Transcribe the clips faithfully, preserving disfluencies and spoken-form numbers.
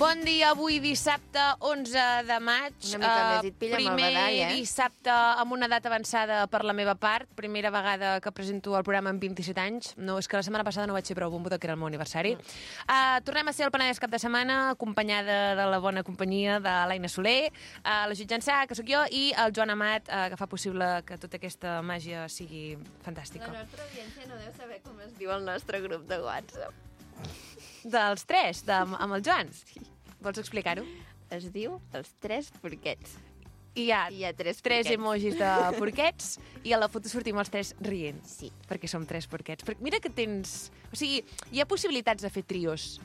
Bon dia, avui dissabte onze de maig. Una mica uh, més, et pilla amb el badall, eh? Primer dissabte amb una data avançada per la meva part. Primera vegada que presento el programa amb vint-i-set anys. No, és que la setmana passada no vaig ser prou bombo, que era el meu aniversari. Mm. Uh, tornem a ser el Penedès cap de setmana, acompanyada de la bona companyia de l'Aina Soler, uh, la Judit Jansà, que sóc jo, i el Joan Amat, uh, que fa possible que tota aquesta màgia sigui fantàstica. La nostra audiència no deu saber com es diu el nostre grup de WhatsApp. Dels tres, de, amb el Joan? Sí. Vols explicar-ho? Es diu Els Tres Porquets. I hi ha, I hi ha tres, tres porquets. emojis de porquets i a la foto sortim els tres rient. Sí. Perquè som tres porquets. Perquè mira que tens... O sigui, hi ha possibilitats de fer trios.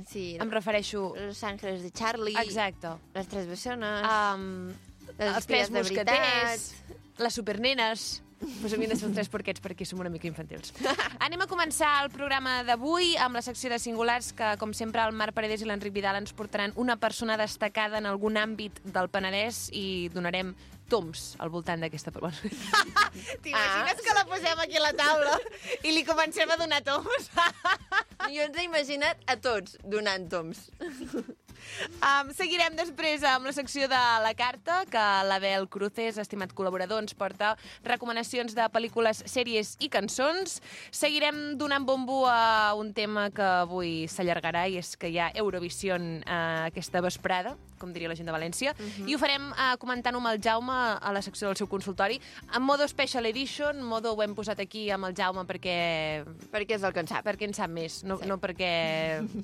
Sí. Em refereixo... Los Ángeles de Charlie. Exacte. Les Tres Bessones. Um, les els tres Espies de mosqueters. Veritat. Les supernenes. Pues havien de ser uns tres porquets perquè som una mica infantils. Anem a començar el programa d'avui amb la secció de singulars que, com sempre, el Marc Paredes i l'Enric Vidal ens portaran una persona destacada en algun àmbit del Penedès i donarem toms al voltant d'aquesta persona. T'imagines ah. que la posem aquí a la taula i li comencem a donar toms? Jo ens he imaginat a tots donant toms. Um, seguirem després amb la secció de la carta, que l'Abel Cruces, estimat col·laborador, ens porta recomanacions de pel·lícules, sèries i cançons. Seguirem donant bombo a un tema que avui s'allargarà, i és que hi ha Eurovision uh, aquesta vesprada, com diria la gent de València, uh-huh. i ho farem uh, comentant-ho amb el Jaume a la secció del seu consultori, en modo Special Edition. Modo ho hem posat aquí amb el Jaume perquè... Perquè és el que en sap. Perquè en sap més, no, sí. no perquè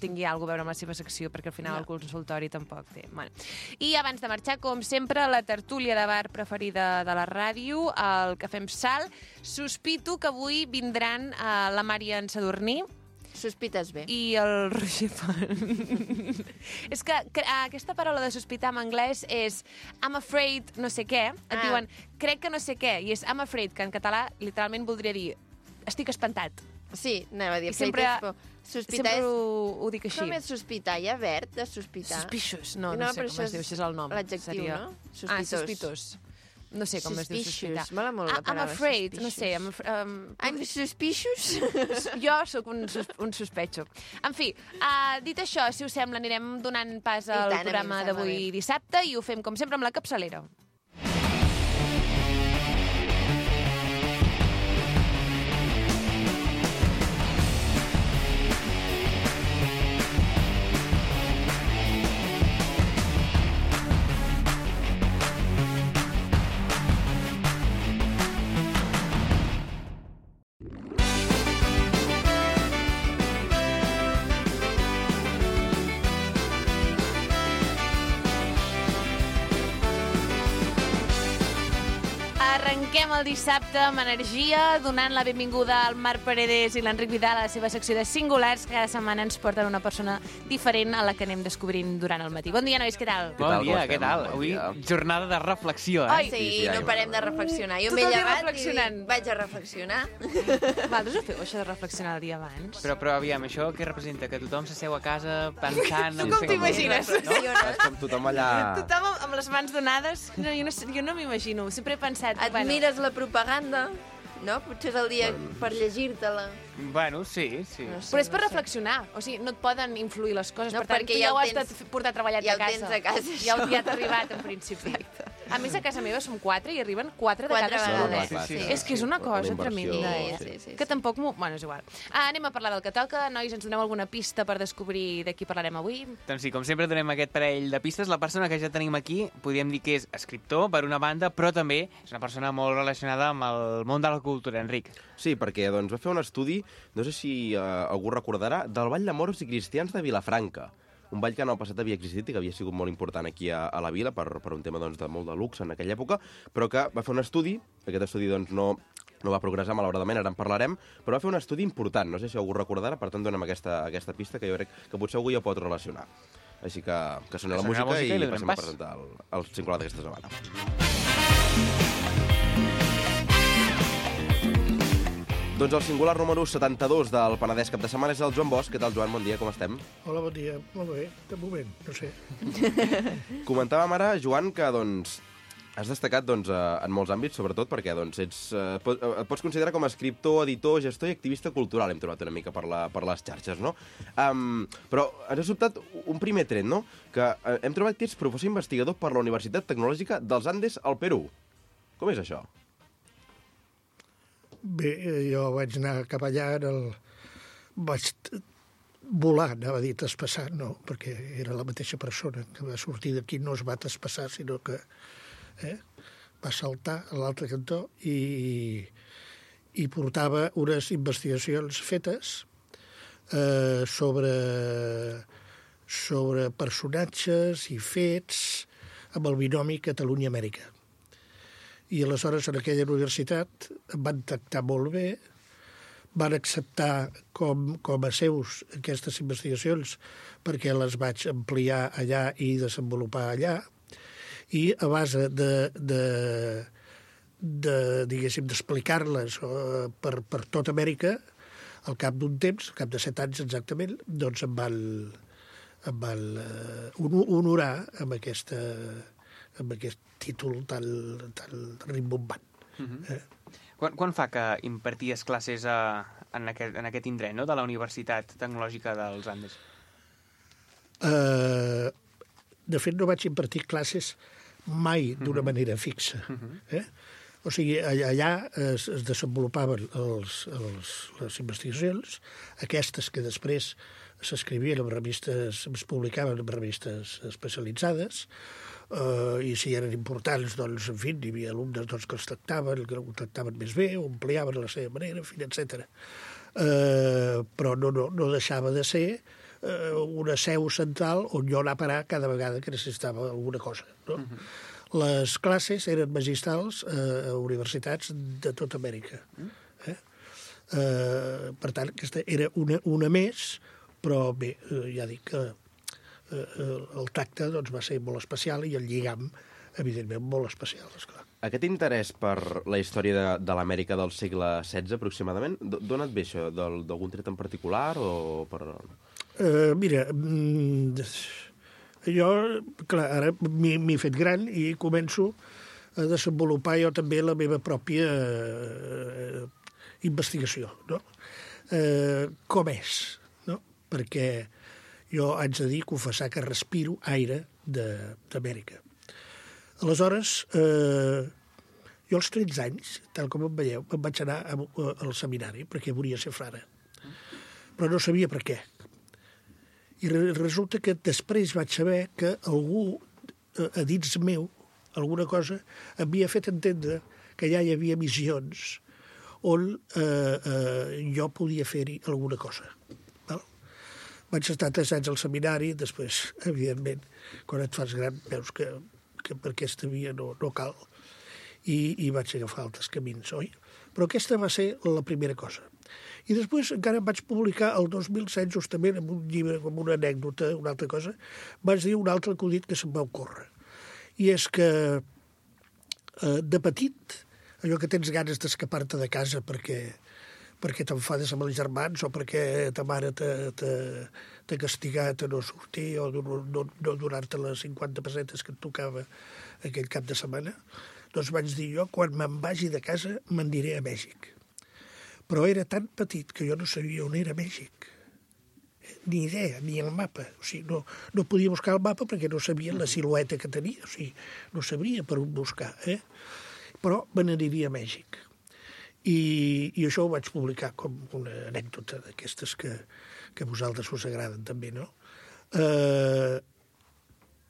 tingui alguna cosa a veure amb la seva secció, perquè al final no. el consultori tampoc té. Bueno. I abans de marxar, com sempre, la tertúlia de bar preferida de la ràdio, el Cafè amb Sal. Sospito que avui vindran uh, la Marian Sadurní, Sospites bé. I el Roger Font. És que, que aquesta paraula de sospitar en anglès és I'm afraid no sé què. Et ah. diuen, crec que no sé què. I és I'm afraid, que en català literalment voldria dir estic espantat. Sí, anava a dir. I sempre, sospitar sempre és... ho, ho dic així. Com és sospitar? Hi ha verb de sospitar? Suspicious. No, no, no sé com es diu, això és el nom. L'adjectiu, seria... no? Sospitós. Ah, sospitós. No sé com es diu sospitar. Mola molt la paraula. I'm afraid, suspicious. no sé. I'm, um, I'm suspicious? Jo sóc un, sus, un sospecho. En fi, uh, dit això, si us sembla, anirem donant pas al tant, programa d'avui dissabte i ho fem, com sempre, amb la capçalera. Arrenquem el dissabte amb energia, donant la benvinguda al Marc Paredes i l'Enric Vidal a la seva secció de singulars. Cada setmana ens porten una persona diferent a la que anem descobrint durant el matí. Bon dia, nois, què tal? Bon dia, què tal? Avui jornada de reflexió, eh? Oi, sí, sí, no parem de reflexionar. Jo m'he llevat i vaig a reflexionar. Vosaltres ho feu, això de reflexionar el dia abans? Però, però aviam, això què representa? Que tothom s'asseu a casa pensant... Tu com t'imagines? No? És com tothom allà... Tothom amb les mans donades? No, jo no, jo no m'imagino. Sempre he pensat... Et bueno. Mires la propaganda, no? Potser és el dia per llegir-te-la. Bueno, sí, sí. No sé, però és per no reflexionar. O sigui, no et poden influir les coses. No, per tant, tu ja, ja ho has tens... portat treballat ja a casa. Ja ho tens a casa. Ja, ja t'ha arribat, en principi. Exacte. A més, a casa meva som quatre i arriben quatre de quatre cada vegades. setmana. Sí, sí, sí. És que és una cosa tremenda, eh? Sí, sí, sí, que tampoc m'ho... Bueno, és igual. Ah, anem a parlar del que toca. Nois, ens doneu alguna pista per descobrir de qui parlarem avui? Doncs sí, com sempre donem aquest parell de pistes. La persona que ja tenim aquí, podríem dir que és escriptor, per una banda, però també és una persona molt relacionada amb el món de la cultura, Enric. Sí, perquè doncs, va fer un estudi, no sé si eh, algú recordarà, del Ball de Moros i Cristians de Vilafranca. Un ball que en el passat havia existit i que havia sigut molt important aquí a, a la vila per, per un tema doncs, de molt de luxe en aquella època, però que va fer un estudi, aquest estudi doncs, no, no va progressar malauradament, ara en parlarem, però va fer un estudi important, no sé si algú recordarà, per tant donem aquesta, aquesta pista que jo crec que potser algú ja pot relacionar. Així que, que sona la música, música i, i passem pas. a presentar el, el singular d'aquesta setmana. Doncs el singular número setanta-dos del Penedès cap de setmana és el Joan Bosch. Què tal, Joan? Bon dia, com estem? Hola, bon dia. Molt bé. De moment, no sé. Comentàvem ara, Joan, que doncs Has destacat doncs, en molts àmbits, sobretot perquè doncs, ets, eh, pot, et pots considerar com a escriptor, editor, gestor i activista cultural, hem trobat una mica per, la, per les xarxes, no? Um, però ens ha sobtat un primer tret, no? Que eh, hem trobat que ets professor investigador per la Universitat Tecnològica dels Andes al Perú. Com és això? Bé, jo vaig anar cap allà, el... vaig volar, anava a dir traspassar, no, perquè era la mateixa persona que va sortir d'aquí, no es va traspassar, sinó que eh, va saltar a l'altre cantó i, i portava unes investigacions fetes eh, sobre, sobre personatges i fets amb el binomi Catalunya-Amèrica. I aleshores en aquella universitat em van tractar molt bé, van acceptar com, com a seus aquestes investigacions perquè les vaig ampliar allà i desenvolupar allà, i a base de, de, de diguéssim, d'explicar-les per, per tota Amèrica, al cap d'un temps, al cap de set anys exactament, doncs em van, em van uh, honorar amb, aquesta, amb aquest títol tan, tan rimbombant. Mm-hmm. eh? Quan, quan fa que imparties classes a, en, aquest, en aquest indret, no?, de la Universitat Tecnològica dels Andes? Uh, de fet, no vaig impartir classes mai d'una manera fixa. Eh? O sigui, allà es, es desenvolupaven els, els, les investigacions, aquestes que després s'escrivien en revistes, es publicaven en revistes especialitzades, eh, i si eren importants, doncs, en fi, hi havia alumnes doncs, que els tractaven, que ho tractaven més bé, ho ampliaven a la seva manera, en fi, etcètera. Eh, però no, no, no deixava de ser una seu central on jo anar a parar cada vegada que necessitava alguna cosa. No? Uh-huh. Les classes eren magistrals a universitats de tota Amèrica. Eh? Eh, per tant, aquesta era una, una més, però bé, ja dic que eh, el tracte doncs, va ser molt especial i el lligam, evidentment, molt especial, esclar. Aquest interès per la història de, de l'Amèrica del segle setze, aproximadament, d'on et ve això? D'algun tret en particular o per... Uh, mira, mm, jo, clar, ara m'he fet gran i començo a desenvolupar jo també la meva pròpia uh, investigació, no? Uh, com és, no? Perquè jo haig de dir, confessar que respiro aire d'Amèrica. Aleshores, eh, jo als tretze anys, tal com em veieu, em vaig anar a, a, al seminari perquè volia ser frare. Però no sabia per què. I re, resulta que després vaig saber que algú, a, a dins meu, alguna cosa, havia fet entendre que ja hi havia missions on eh, eh, jo podia fer-hi alguna cosa. Val? Vaig estar tres anys al seminari, després, evidentment, quan et fas gran, veus que que per aquesta via no, no cal, i, i vaig agafar altres camins, oi? Però aquesta va ser la primera cosa. I després encara vaig publicar el dos mil set, justament, amb un llibre, com una anècdota, una altra cosa, vaig dir un altre acudit que se'm va ocórrer. I és que, eh, de petit, allò que tens ganes d'escapar-te de casa perquè, perquè t'enfades amb els germans o perquè ta mare t'ha castigat a no sortir o no, no, no donar-te les cinquanta pessetes que et tocava aquell cap de setmana, doncs vaig dir jo, quan me'n vagi de casa, me'n diré a Mèxic. Però era tan petit que jo no sabia on era Mèxic. Ni idea, ni el mapa. O sigui, no, no podia buscar el mapa perquè no sabia la silueta que tenia. O sigui, no sabria per on buscar. Eh? Però me n'aniria a Mèxic. I, i això ho vaig publicar com una anècdota d'aquestes que, que a vosaltres us agraden també, no? Eh,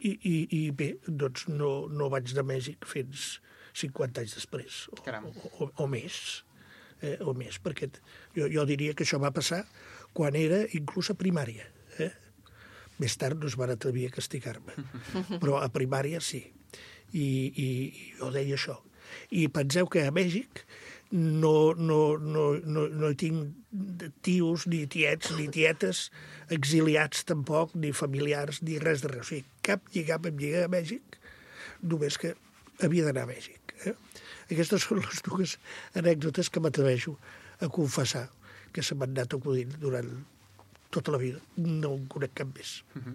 i, i, I bé, doncs no, no vaig de Mèxic fins cinquanta anys després, o, o, o, o més, eh, o més, perquè jo, jo diria que això va passar quan era inclús a primària. Eh? Més tard no es van atrevir a castigar-me, però a primària sí. I, i, i jo deia això. I penseu que a Mèxic no, no, no, no, no hi tinc tios, ni tiets, ni tietes, exiliats tampoc, ni familiars, ni res de res. O sigui, cap lligam em lliga a Mèxic, només que havia d'anar a Mèxic. Eh? Aquestes són les dues anècdotes que m'atreveixo a confessar que se m'han anat acudint durant tota la vida. No en conec cap més. Uh-huh.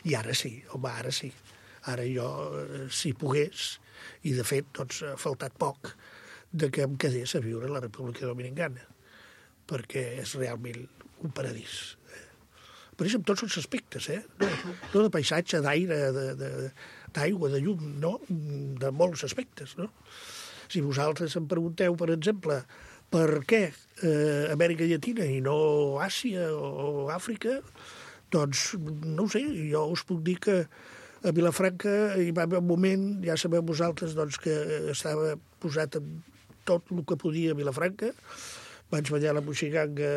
I ara sí, home, ara sí. Ara jo, si pogués, i de fet, doncs, ha faltat poc de que em quedés a viure a la República Dominicana, perquè és realment un paradís. Per això, en tots els aspectes, eh? No, no de paisatge, d'aire, d'aigua, de, de llum, no? De molts aspectes, no? Si vosaltres em pregunteu, per exemple, per què eh, Amèrica Llatina i no Àsia o Àfrica, doncs, no ho sé, jo us puc dir que a Vilafranca hi va haver un moment, ja sabeu vosaltres, doncs, que estava posat en tot el que podia a Vilafranca. Vaig ballar la moixiganga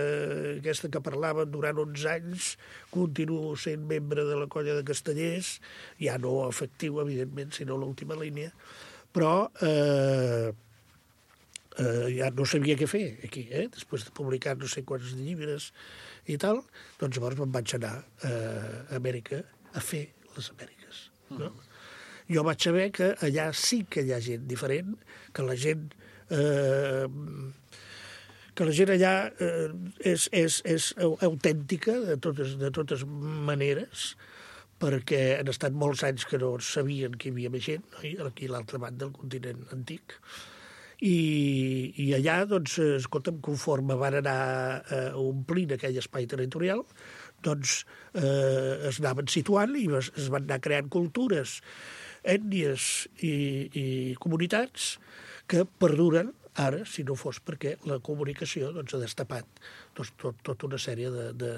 aquesta que parlaven durant onze anys, continuo sent membre de la colla de Castellers, ja no efectiu, evidentment, sinó l'última línia, però eh, eh, ja no sabia què fer aquí, eh? Després de publicar no sé quants llibres i tal, doncs llavors me'n vaig anar a Amèrica a fer les Amèriques, no? Mm. Jo vaig saber que allà sí que hi ha gent diferent, que la gent... Eh, que la gent allà eh, és, és, és autèntica de totes, de totes maneres, perquè han estat molts anys que no sabien que hi havia més gent, no? Aquí a l'altra banda del continent antic. I, i allà, doncs, escolta'm, conforme van anar eh, omplint aquell espai territorial, doncs eh, es anaven situant i es, es van anar creant cultures, ètnies i, i comunitats que perduren ara, si no fos perquè la comunicació doncs, ha destapat doncs, tot, tota una sèrie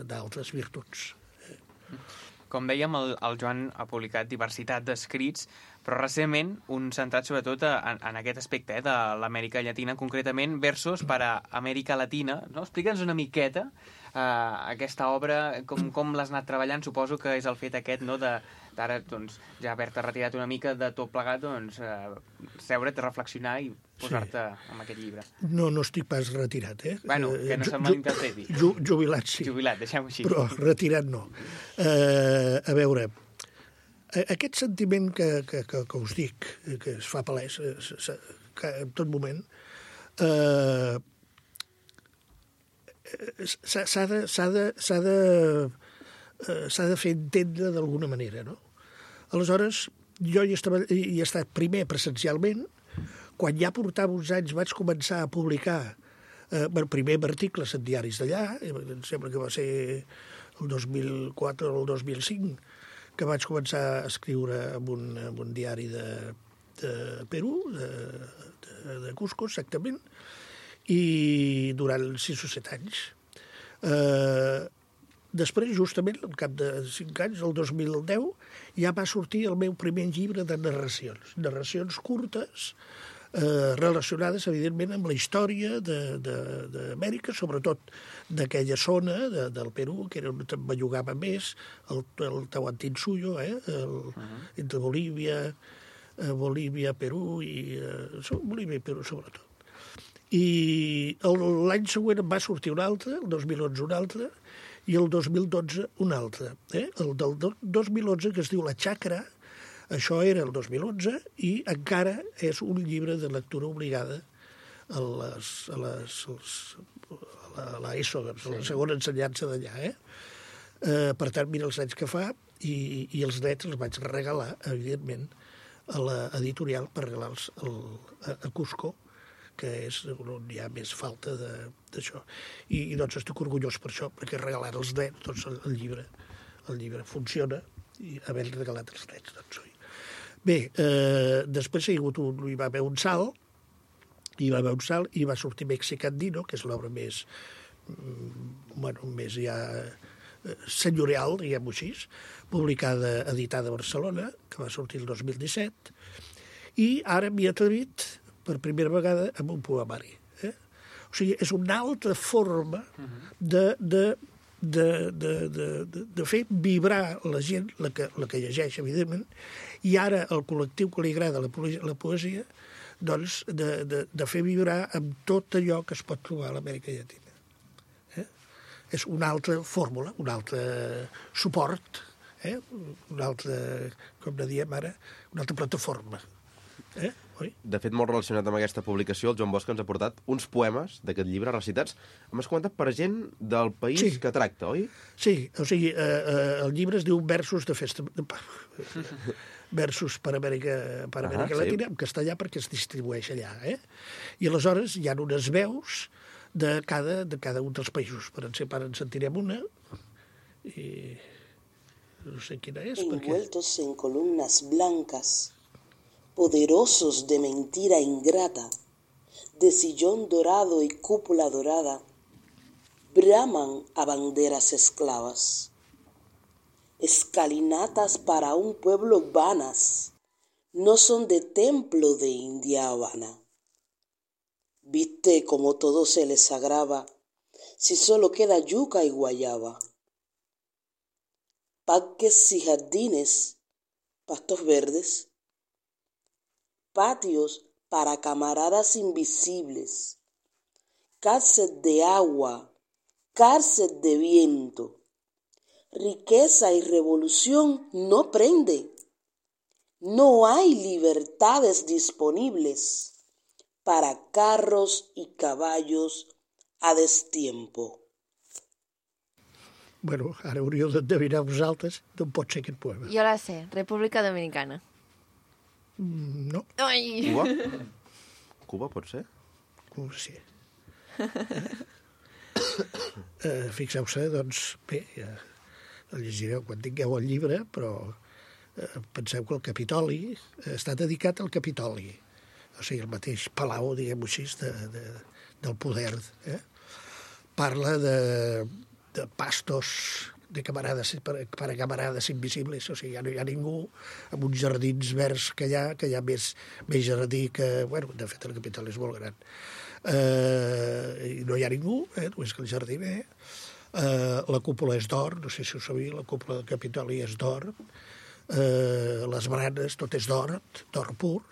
d'altres virtuts. Com dèiem, el, el Joan ha publicat diversitat d'escrits, però recentment un centrat sobretot en, en aquest aspecte eh, de l'Amèrica Llatina, concretament versos per a Amèrica Latina. No? Explica'ns una miqueta eh, aquesta obra, com, com l'has anat treballant. Suposo que és el fet aquest, no?, de d'ara, doncs, ja haver-te retirat una mica de tot plegat, doncs, eh, seure't, reflexionar i posar-te sí. amb aquest llibre. No, no estic pas retirat, eh? Bueno, que no se'n malinterpreti. Ju, jubilat, sí. Jubilat, deixem-ho així. Però retirat no. Eh, a veure, aquest sentiment que, que, que, que us dic, que es fa palès que en tot moment, eh, s'ha de... s'ha de, s'ha de s'ha de fer entendre d'alguna manera, no? Aleshores, jo hi, estava, hi he estat primer presencialment, quan ja portava uns anys vaig començar a publicar eh, primer articles en diaris d'allà, em sembla que va ser el dos mil quatre o el dos mil cinc, que vaig començar a escriure en un, en un diari de, de Perú, de, de, de Cusco, exactament, i durant sis o set anys. Eh, Després, justament, al cap de cinc anys, el dos mil deu, ja va sortir el meu primer llibre de narracions. Narracions curtes, eh, relacionades, evidentment, amb la història d'Amèrica, sobretot d'aquella zona de, del Perú, que era on em bellugava més, el, el Tahuantinsuyo, eh, el, uh -huh. entre Bolívia, eh, Bolívia, Perú, i eh, Bolívia i Perú, sobretot. I l'any següent em va sortir un altre, el dos mil onze un altre, i el dos mil dotze un altre. Eh? El del dos mil onze, que es diu La Xacra, això era el dos mil onze, i encara és un llibre de lectura obligada a les, a les, a l'ESO, a la segona ensenyança d'allà. Eh? Eh, per tant, mira els anys que fa, i, i els drets els vaig regalar, evidentment, a l'editorial per regalar-los a, a Cusco, que és on hi ha més falta d'això. I, I doncs estic orgullós per això, perquè regalar els drets, doncs el, el llibre el llibre funciona, i haver regalat els drets, doncs oi. Bé, eh, després hi, ha hagut un, hi va haver un salt, hi va haver un salt, i va sortir Mexicandino, que és l'obra més, bueno, més ja senyorial, diguem-ho així, publicada, editada a Barcelona, que va sortir el dos mil disset, i ara m'hi he atrevit per primera vegada amb un poemari. Eh? O sigui, és una altra forma de, de, de, de, de, de, de fer vibrar la gent, la que, la que llegeix, evidentment, i ara el col·lectiu que li agrada la poesia, la poesia doncs, de, de, de fer vibrar amb tot allò que es pot trobar a l'Amèrica Llatina. Eh? És una altra fórmula, un altre suport, eh? Una altra, com ne diem ara, una altra plataforma. Eh? Oi? De fet, molt relacionat amb aquesta publicació, el Joan Bosch ens ha portat uns poemes d'aquest llibre recitats. M'has comentat per gent del país sí. que tracta, oi? Sí, o sigui, eh, eh, el llibre es diu Versos de festa... versos per Amèrica, per Amèrica Ah, sí. Latina, en castellà perquè es distribueix allà. Eh? I aleshores hi ha unes veus de cada, de cada un dels països. Per exemple, ara en sentirem una, i no sé quina és, perquè... Envueltos en columnas blancas, poderosos de mentira ingrata, de sillón dorado y cúpula dorada, braman a banderas esclavas. Escalinatas para un pueblo vanas, no son de templo de India Habana. Viste como todo se les agrava, si solo queda yuca y guayaba. Parques y jardines, pastos verdes, patios para camaradas invisibles, cárcel de agua, cárcel de viento, riqueza y revolución no prende, no hay libertades disponibles para carros y caballos a destiempo. Bueno, ara hauríeu d'endevinar vosaltres d'on pot ser aquest poema. Jo la sé, República Dominicana. Mm, no, Ai! Cuba? Cuba pot ser? no ho sé. eh, Fixeu-se, doncs, bé, ja el llegireu quan tingueu el llibre, però eh, penseu que el Capitoli està dedicat al Capitoli, o sigui, el mateix palau, diguem-ho així, de, de, del poder. Eh? Parla de, de pastos, de camarades, per, per a camarades invisibles, o sigui, ja no hi ha ningú, amb uns jardins verds que hi ha, que hi ha més, més jardí que... Bueno, de fet, el Capitoli és molt gran. Eh, i no hi ha ningú, eh, només que el jardiner. Eh, la cúpula és d'or, no sé si ho sabia, la cúpula del Capitoli és d'or. Eh, les baranes, tot és d'or, d'or pur.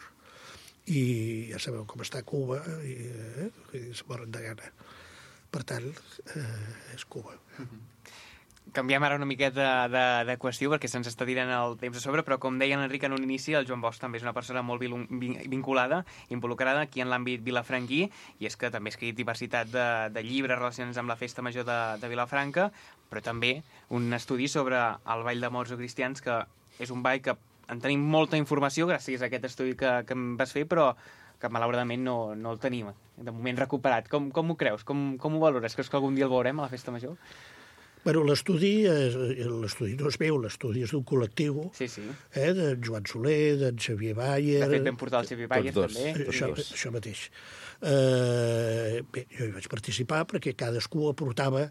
I ja sabeu com està Cuba, i, eh, i es moren de gana. Per tant, eh, és Cuba. Canviem ara una miqueta de, de qüestió perquè se'ns està tirant el temps a sobre, però com deia l'Enric en un inici, el Joan Bosch també és una persona molt vin vinculada, involucrada aquí en l'àmbit vilafranquí, i és que també ha escrit diversitat de, de llibres relacionats amb la festa major de, de Vilafranca, però també un estudi sobre el ball de morts o cristians, que és un ball que en tenim molta informació gràcies a aquest estudi que, que em vas fer, però que malauradament no, no el tenim de moment recuperat. Com, com ho creus? Com, com ho valores? Creus que algun dia el veurem a la festa major? Bueno, l'estudi l'estudi no és meu, l'estudi és d'un col·lectiu, Sí, sí. eh, d'en Joan Soler, d'en Xavier Bayer... De fet, vam portar el Xavier Bayer, tots dos. també. Això, això mateix. Eh, bé, jo hi vaig participar perquè cadascú aportava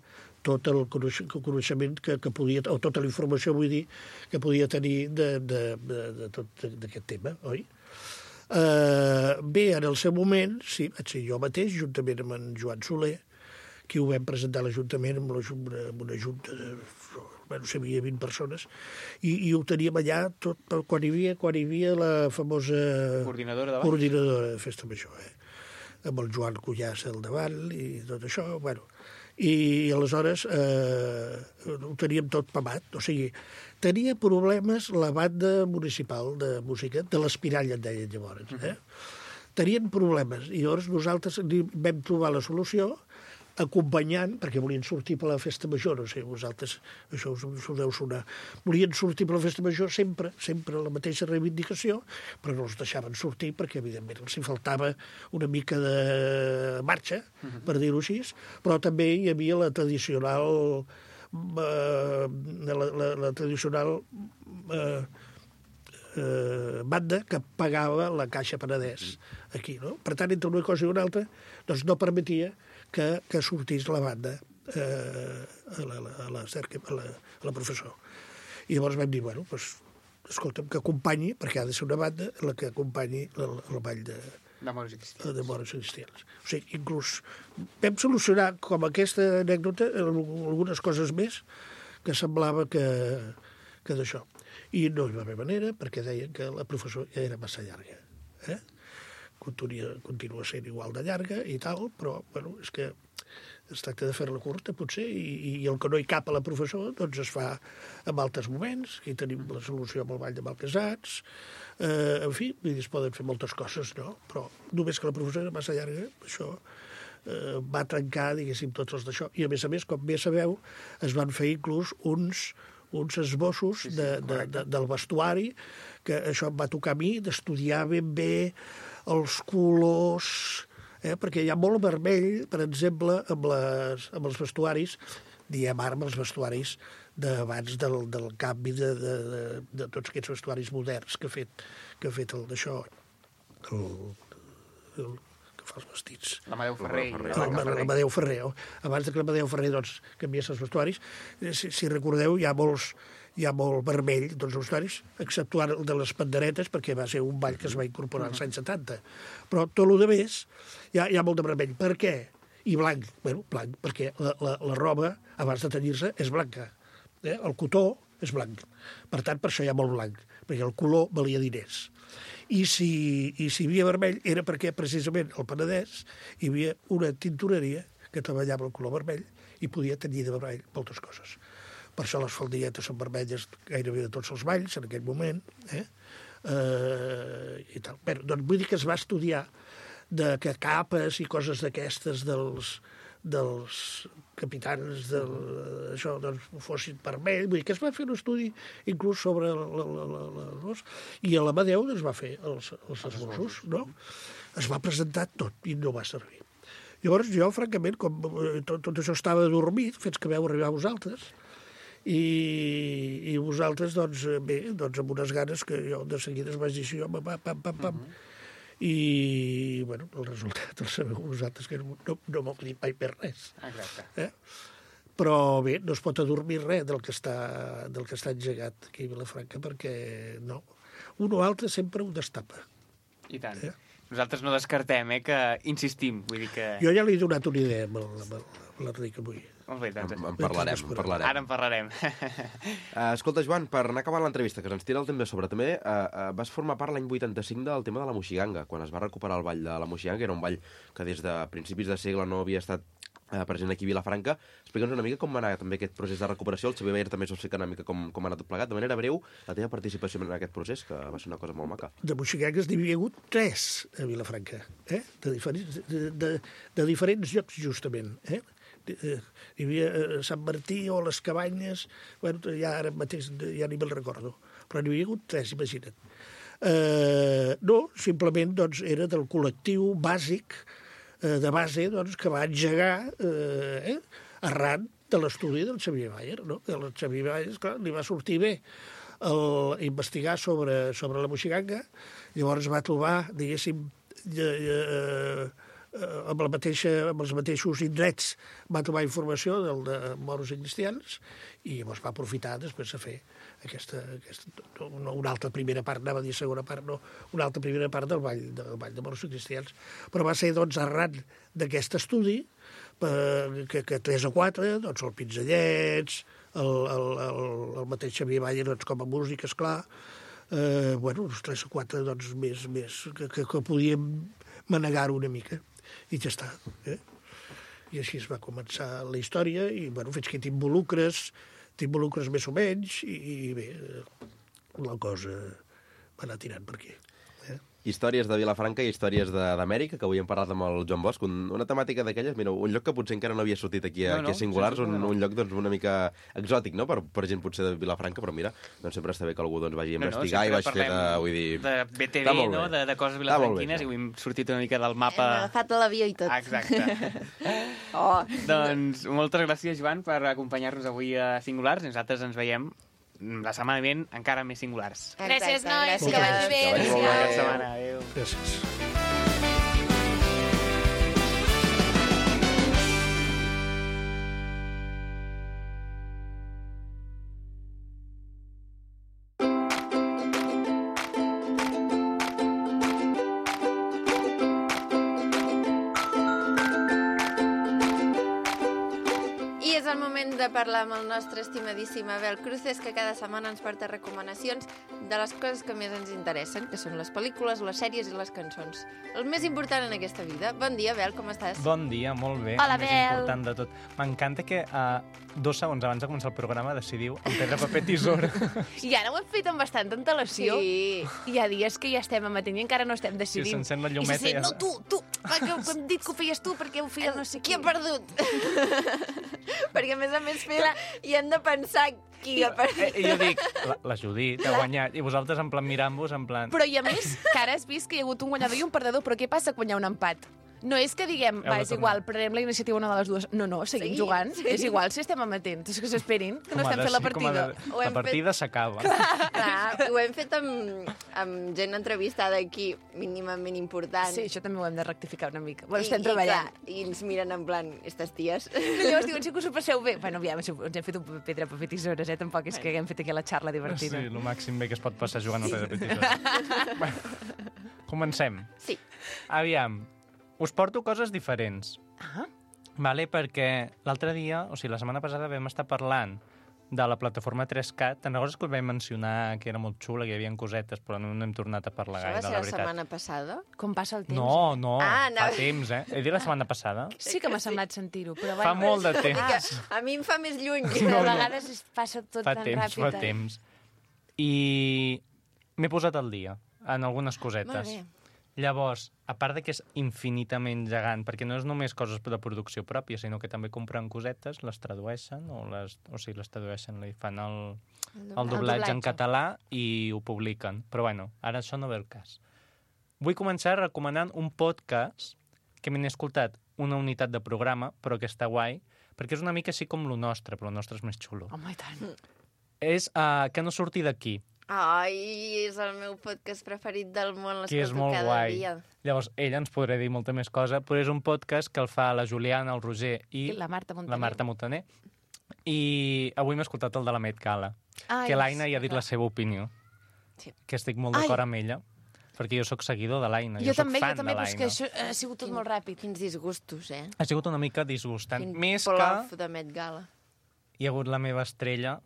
tot el coneixement que, que podia, o tota la informació, vull dir, que podia tenir de, de, de, de tot d'aquest tema, oi? Eh, bé, en el seu moment, sí, vaig ser jo mateix, juntament amb en Joan Soler, que ho vam presentar a l'Ajuntament amb, una, amb una junta de, bueno, no sé, hi havia vint persones, i, i ho teníem allà tot, quan hi havia, quan hi havia la famosa Coordinadora de ball. coordinadora de Festa Major, eh? Amb el Joan Cullàs al davant i tot això, bueno. I aleshores eh, ho teníem tot pamat, o sigui, tenia problemes la banda municipal de música, de l'Espirall en deien llavors, eh? Tenien problemes, i llavors nosaltres vam trobar la solució acompanyant, perquè volien sortir per la festa major, no sé, vosaltres, això us, us ho deu sonar, volien sortir per la festa major sempre, sempre la mateixa reivindicació, però no els deixaven sortir perquè, evidentment, els hi faltava una mica de marxa, uh-huh. per dir-ho així, però també hi havia la tradicional, eh, la, la, la tradicional eh, eh, banda que pagava la Caixa Penedès aquí, no? Per tant, entre una cosa i una altra, doncs no permetia que, que sortís la banda eh, a, la, a, la cerca, a, la, a la professor. I llavors vam dir, bueno, doncs, escolta'm, que acompanyi, perquè ha de ser una banda la que acompanyi el, el ball de, De morts i cristians. de morts i cristians. O sigui, inclús vam solucionar, com aquesta anècdota, algunes coses més que semblava que, que d'això. I no hi va haver manera, perquè deien que la professor ja era massa llarga. Eh? Continua, continua sent igual de llarga i tal, però, bueno, és que es tracta de fer-la curta, potser, i, i el que no hi cap a la professor, doncs es fa en altres moments. Aquí tenim la solució amb el ball de Malpesats, eh, en fi, es poden fer moltes coses, no? Però només que la professora era massa llarga, això eh, va trencar, diguéssim, tots els d'això. I, a més a més, com bé sabeu, es van fer inclús uns, uns esbossos Sí, sí, de, de, de, del vestuari, que això em va tocar a mi, d'estudiar ben bé els colors, eh? perquè hi ha molt vermell, per exemple, amb, les, amb els vestuaris, diem ara amb els vestuaris d'abans del, del canvi de, de, de, de tots aquests vestuaris moderns que ha fet, que ha fet el d'això, el, el que fa els vestits. L'Amadeu Ferrer. L'Amadeu Ferrer. Abans de que l'Amadeu Ferrer doncs, canviés els vestuaris, si, si recordeu, hi ha molts hi ha molt vermell dels vestuaris, exceptuant el de les panderetes, perquè va ser un ball que es va incorporar als anys setanta. Però tot el de més hi ha, hi ha molt de vermell. Per què? I blanc. Bueno, blanc, perquè la, la, la roba, abans de tenyir-se, és blanca. Eh? El cotó és blanc. Per tant, per això hi ha molt blanc, perquè el color valia diners. I si, i si hi havia vermell era perquè, precisament, al Penedès hi havia una tintoreria que treballava el color vermell i podia tenyir de vermell moltes coses. Per això les faldilletes són vermelles gairebé de tots els balls, en aquell moment. Eh? Eh, i tal. Bé, doncs vull dir que es va estudiar de que capes i coses d'aquestes dels, dels capitans del, això, doncs, fossin vermell. Vull dir que es va fer un estudi inclús sobre l'os. I a l'Amadeu es va fer els, els esbossos, no? Es va presentar tot i no va servir. Llavors jo, francament, com tot, tot això estava dormit, fins que veu arribar a vosaltres, i, i vosaltres, doncs, bé, doncs amb unes ganes que jo de seguida es vaig dir així, home, pam, pam, pam, pam. Uh -huh. I, bueno, el resultat el sabeu vosaltres, que no, no, no m'ho dit mai per res. Exacte. Eh? Però bé, no es pot adormir res del que està, del que està engegat aquí a Vilafranca, perquè no. Un o altre sempre ho destapa. I tant. Eh? Nosaltres no descartem, eh, que insistim. Vull dir que... Jo ja li he donat una idea amb l'Enric avui. Molt bé, doncs... En, en parlarem, en parlarem. Ara en parlarem. Uh, escolta, Joan, per anar acabant l'entrevista, que ens tira el temps de sobre, també uh, uh, vas formar part l'any vuitanta-cinc del tema de la Moixiganga, quan es va recuperar el ball de la Moixiganga, que era un ball que des de principis de segle no havia estat uh, present aquí a Vilafranca. Explica'ns una mica com va anar també aquest procés de recuperació. El Xavier Bayer també ens va explicar una mica com, com ha anat tot plegat. De manera breu, la teva participació en aquest procés, que va ser una cosa molt maca. De moixigangues n'hi havia hagut tres a Vilafranca, eh? de, diferents, de, de, de diferents llocs, justament. Eh? Hi havia Sant Martí o les Cabanyes, bueno, ja ara mateix ja ni me'l recordo, però n'hi havia hagut tres, imagina't. Eh, no, simplement doncs, era del col·lectiu bàsic, eh, de base, doncs, que va engegar eh, eh, arran de l'estudi del Xavier Bayer, no? El Xavier Bayer, esclar, li va sortir bé el, investigar sobre, sobre la moixiganga, llavors va trobar, diguéssim, eh, eh, amb, la mateixa, amb els mateixos indrets va trobar informació del de moros i cristians i llavors va aprofitar després de fer aquesta, aquesta no, una altra primera part, anava a dir segona part, no, una altra primera part del ball, del ball de moros i cristians. Però va ser, doncs, arran d'aquest estudi per, que, que tres o quatre, doncs, el Pinzellets, el, el, el, el mateix Xavier Bayer, doncs, com a músic, esclar, eh, bueno, els tres o quatre, doncs, més, més que, que, que podíem manegar-ho una mica. I ja està. Eh? I així es va començar la història i, bueno, fins que t'involucres, t'involucres més o menys i, i bé, la cosa va anar tirant per aquí. Eh? Històries de Vilafranca i històries d'Amèrica, que avui hem parlat amb el Joan Bosch, un, una temàtica d'aquelles, mira, un lloc que potser encara no havia sortit aquí a, no, no, aquí a Singulars, un, un lloc doncs, una mica exòtic, no?, per, per gent potser de Vilafranca, però mira, doncs sempre està bé que algú doncs, vagi a investigar no, no, i vagi fer de... Vull dir... de B T V, no?, de, de coses vilafranquines, i avui hem sortit una mica del mapa... Hem agafat a l'avió i tot. Exacte. Oh. Doncs moltes gràcies, Joan, per acompanyar-nos avui a Singulars. Nosaltres ens veiem la setmana vinent encara més Singulars. Gràcies, nois, Gràcies. que vagi bé. Que vagi molt bé. Bona setmana, adéu. Gràcies. De parlar amb el nostre estimadíssim Abel Cruces, que cada setmana ens porta recomanacions de les coses que més ens interessen, que són les pel·lícules, les sèries i les cançons. El més important en aquesta vida. Bon dia, Abel, com estàs? Bon dia, molt bé. Hola, el més Abel. important de tot. M'encanta que uh, dos segons abans de començar el programa decidiu en pedra, paper, tisora. I ara ho hem fet amb bastanta antelació. Sí. Hi ha dies que ja estem amatent i encara no estem decidint. Si s'encén la I llumeta se sent, ja... no, tu, tu, que, que hem dit que ho feies tu perquè ho feia no sé qui. Qui ha perdut? Perquè, a més a més, fem, i hem de pensar qui ha perdut. I jo dic, la, la Judit ha guanyat, i vosaltres en plan mirant-vos, en plan... Però i a més, que ara has vist que hi ha hagut un guanyador i un perdedor, però què passa quan hi ha un empat? No és que diguem, Heu va, de és tornar. igual, prenem la iniciativa una de les dues. No, no, seguim Sí, jugant. sí. És igual si estem amatents. És que s'esperin, que no Com ha estem de fent la ser, com ha de- partida. Ho hem La partida s'acaba. Clar, ho hem fet amb, amb gent entrevistada aquí, mínimament important. Sí, això també ho hem de rectificar una mica. Bueno, I, estem i, treballant. clar, I ens miren en plan, aquestes ties. I llavors diuen, sí que us ho passeu bé. Bueno, aviam, ens hem fet un paper pedra, paper tisores, eh? Tampoc és que haguem fet aquí la xarla Sí, divertida. el màxim bé que es pot passar jugant al pedra petitós. Comencem. Sí. Aviam, us porto coses diferents. Ah, Vale, perquè l'altre dia, o sigui, la setmana passada vam estar parlant de la plataforma tres cat. Te'n recordes que us vam mencionar que era molt xula, que hi havia cosetes, però no n'hem tornat a parlar Això va gaire, ser la la veritat. setmana passada? com passa el temps. No, no, Ah, fa anava- temps, eh? He dit la setmana passada. Sí que m'ha semblat sentir-ho, però Fa bueno. molt de Que temps. a mi em fa més lluny. A vegades es passa tot Fa tan temps, ràpid. fa eh? temps. I m'he posat al dia en algunes cosetes. Molt bé. Llavors, a part de que és infinitament gegant, perquè no és només coses de producció pròpia, sinó que també compren cosetes, les tradueixen, o, les, o sigui, les tradueixen, li fan el, el doblatge en doblatge. català i ho publiquen. Però bueno, ara això no ve el cas. Vull començar recomanant un podcast que m'he escoltat una unitat de programa, però que està guai, perquè és una mica així com lo nostre, però el nostre és més xulo. Home, i tant. És uh, Que no surti d'aquí, Ai, és el meu podcast preferit del món, que és l'escolto molt cada guai. dia. Llavors, ella ens podrà dir molta més cosa, però és un podcast que el fa la Juliana, el Roger i I la Marta Montaner. la Marta Montaner. I avui m'he escoltat el de la Met Gala, Ai, que l'Aina sí, ja ha dit clar. la seva opinió, Sí. que estic molt Ai. d'acord amb ella, perquè jo sóc seguidor de l'Aina, Jo jo, també, sóc fan jo també, de però és que l'Aina. això ha sigut tot molt ràpid. Quins disgustos, eh? Ha sigut una mica disgustant. Quin Més plof que de Met Gala. hi ha hagut la meva estrella,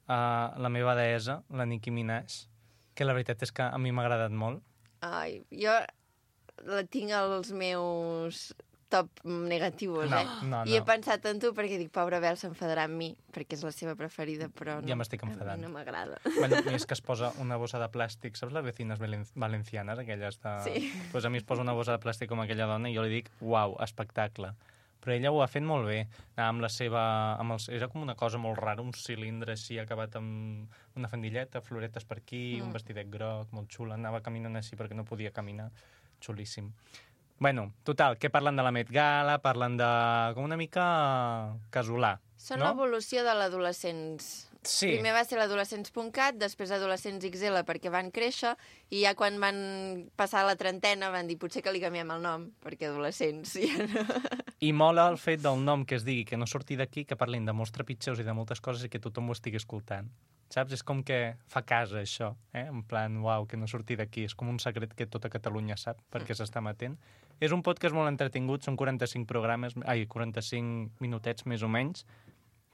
uh, la meva deessa, la Nicki Minaj, que la veritat és que a mi m'ha agradat molt. Ai, jo la tinc als meus top negatius, No, eh? no, I he no. pensat en tu perquè dic, pobra Bel, s'enfadarà amb mi, perquè és la seva preferida, però no. Ja m'estic A enfadant. mi no m'agrada. Bueno, a mi és que es posa una bossa de plàstic, saps les vecines valen- valencianes, aquelles de... Sí. Pues a mi es posa una bossa de plàstic com aquella dona i jo li dic, uau, espectacle. Però ella ho ha fet molt bé, anava amb la seva... Amb els, era com una cosa molt rara, un cilindre així acabat amb una fandilleta, floretes per aquí, mm. un vestidet groc, molt xula, anava caminant així perquè no podia caminar, xulíssim. Bueno, total, que parlen de la Met Gala, parlen de... com una mica casolà, Són no? l'evolució de l'adolescents. Sí. Primer va ser l'adolescents punt cat, després adolescents ics ele perquè van créixer, i ja quan van passar la trentena van dir potser que li canviem el nom, perquè adolescents ja no... I mola el fet del nom que es digui que no surti d'aquí, que parlin de molts trepitgeus i de moltes coses i que tothom ho estigui escoltant. Saps? És com que fa casa, això. Eh? En plan, uau, que no surti d'aquí. És com un secret que tota Catalunya sap, perquè s'està matent. És un podcast molt entretingut, són quaranta-cinc programes, ai, quaranta-cinc minutets més o menys,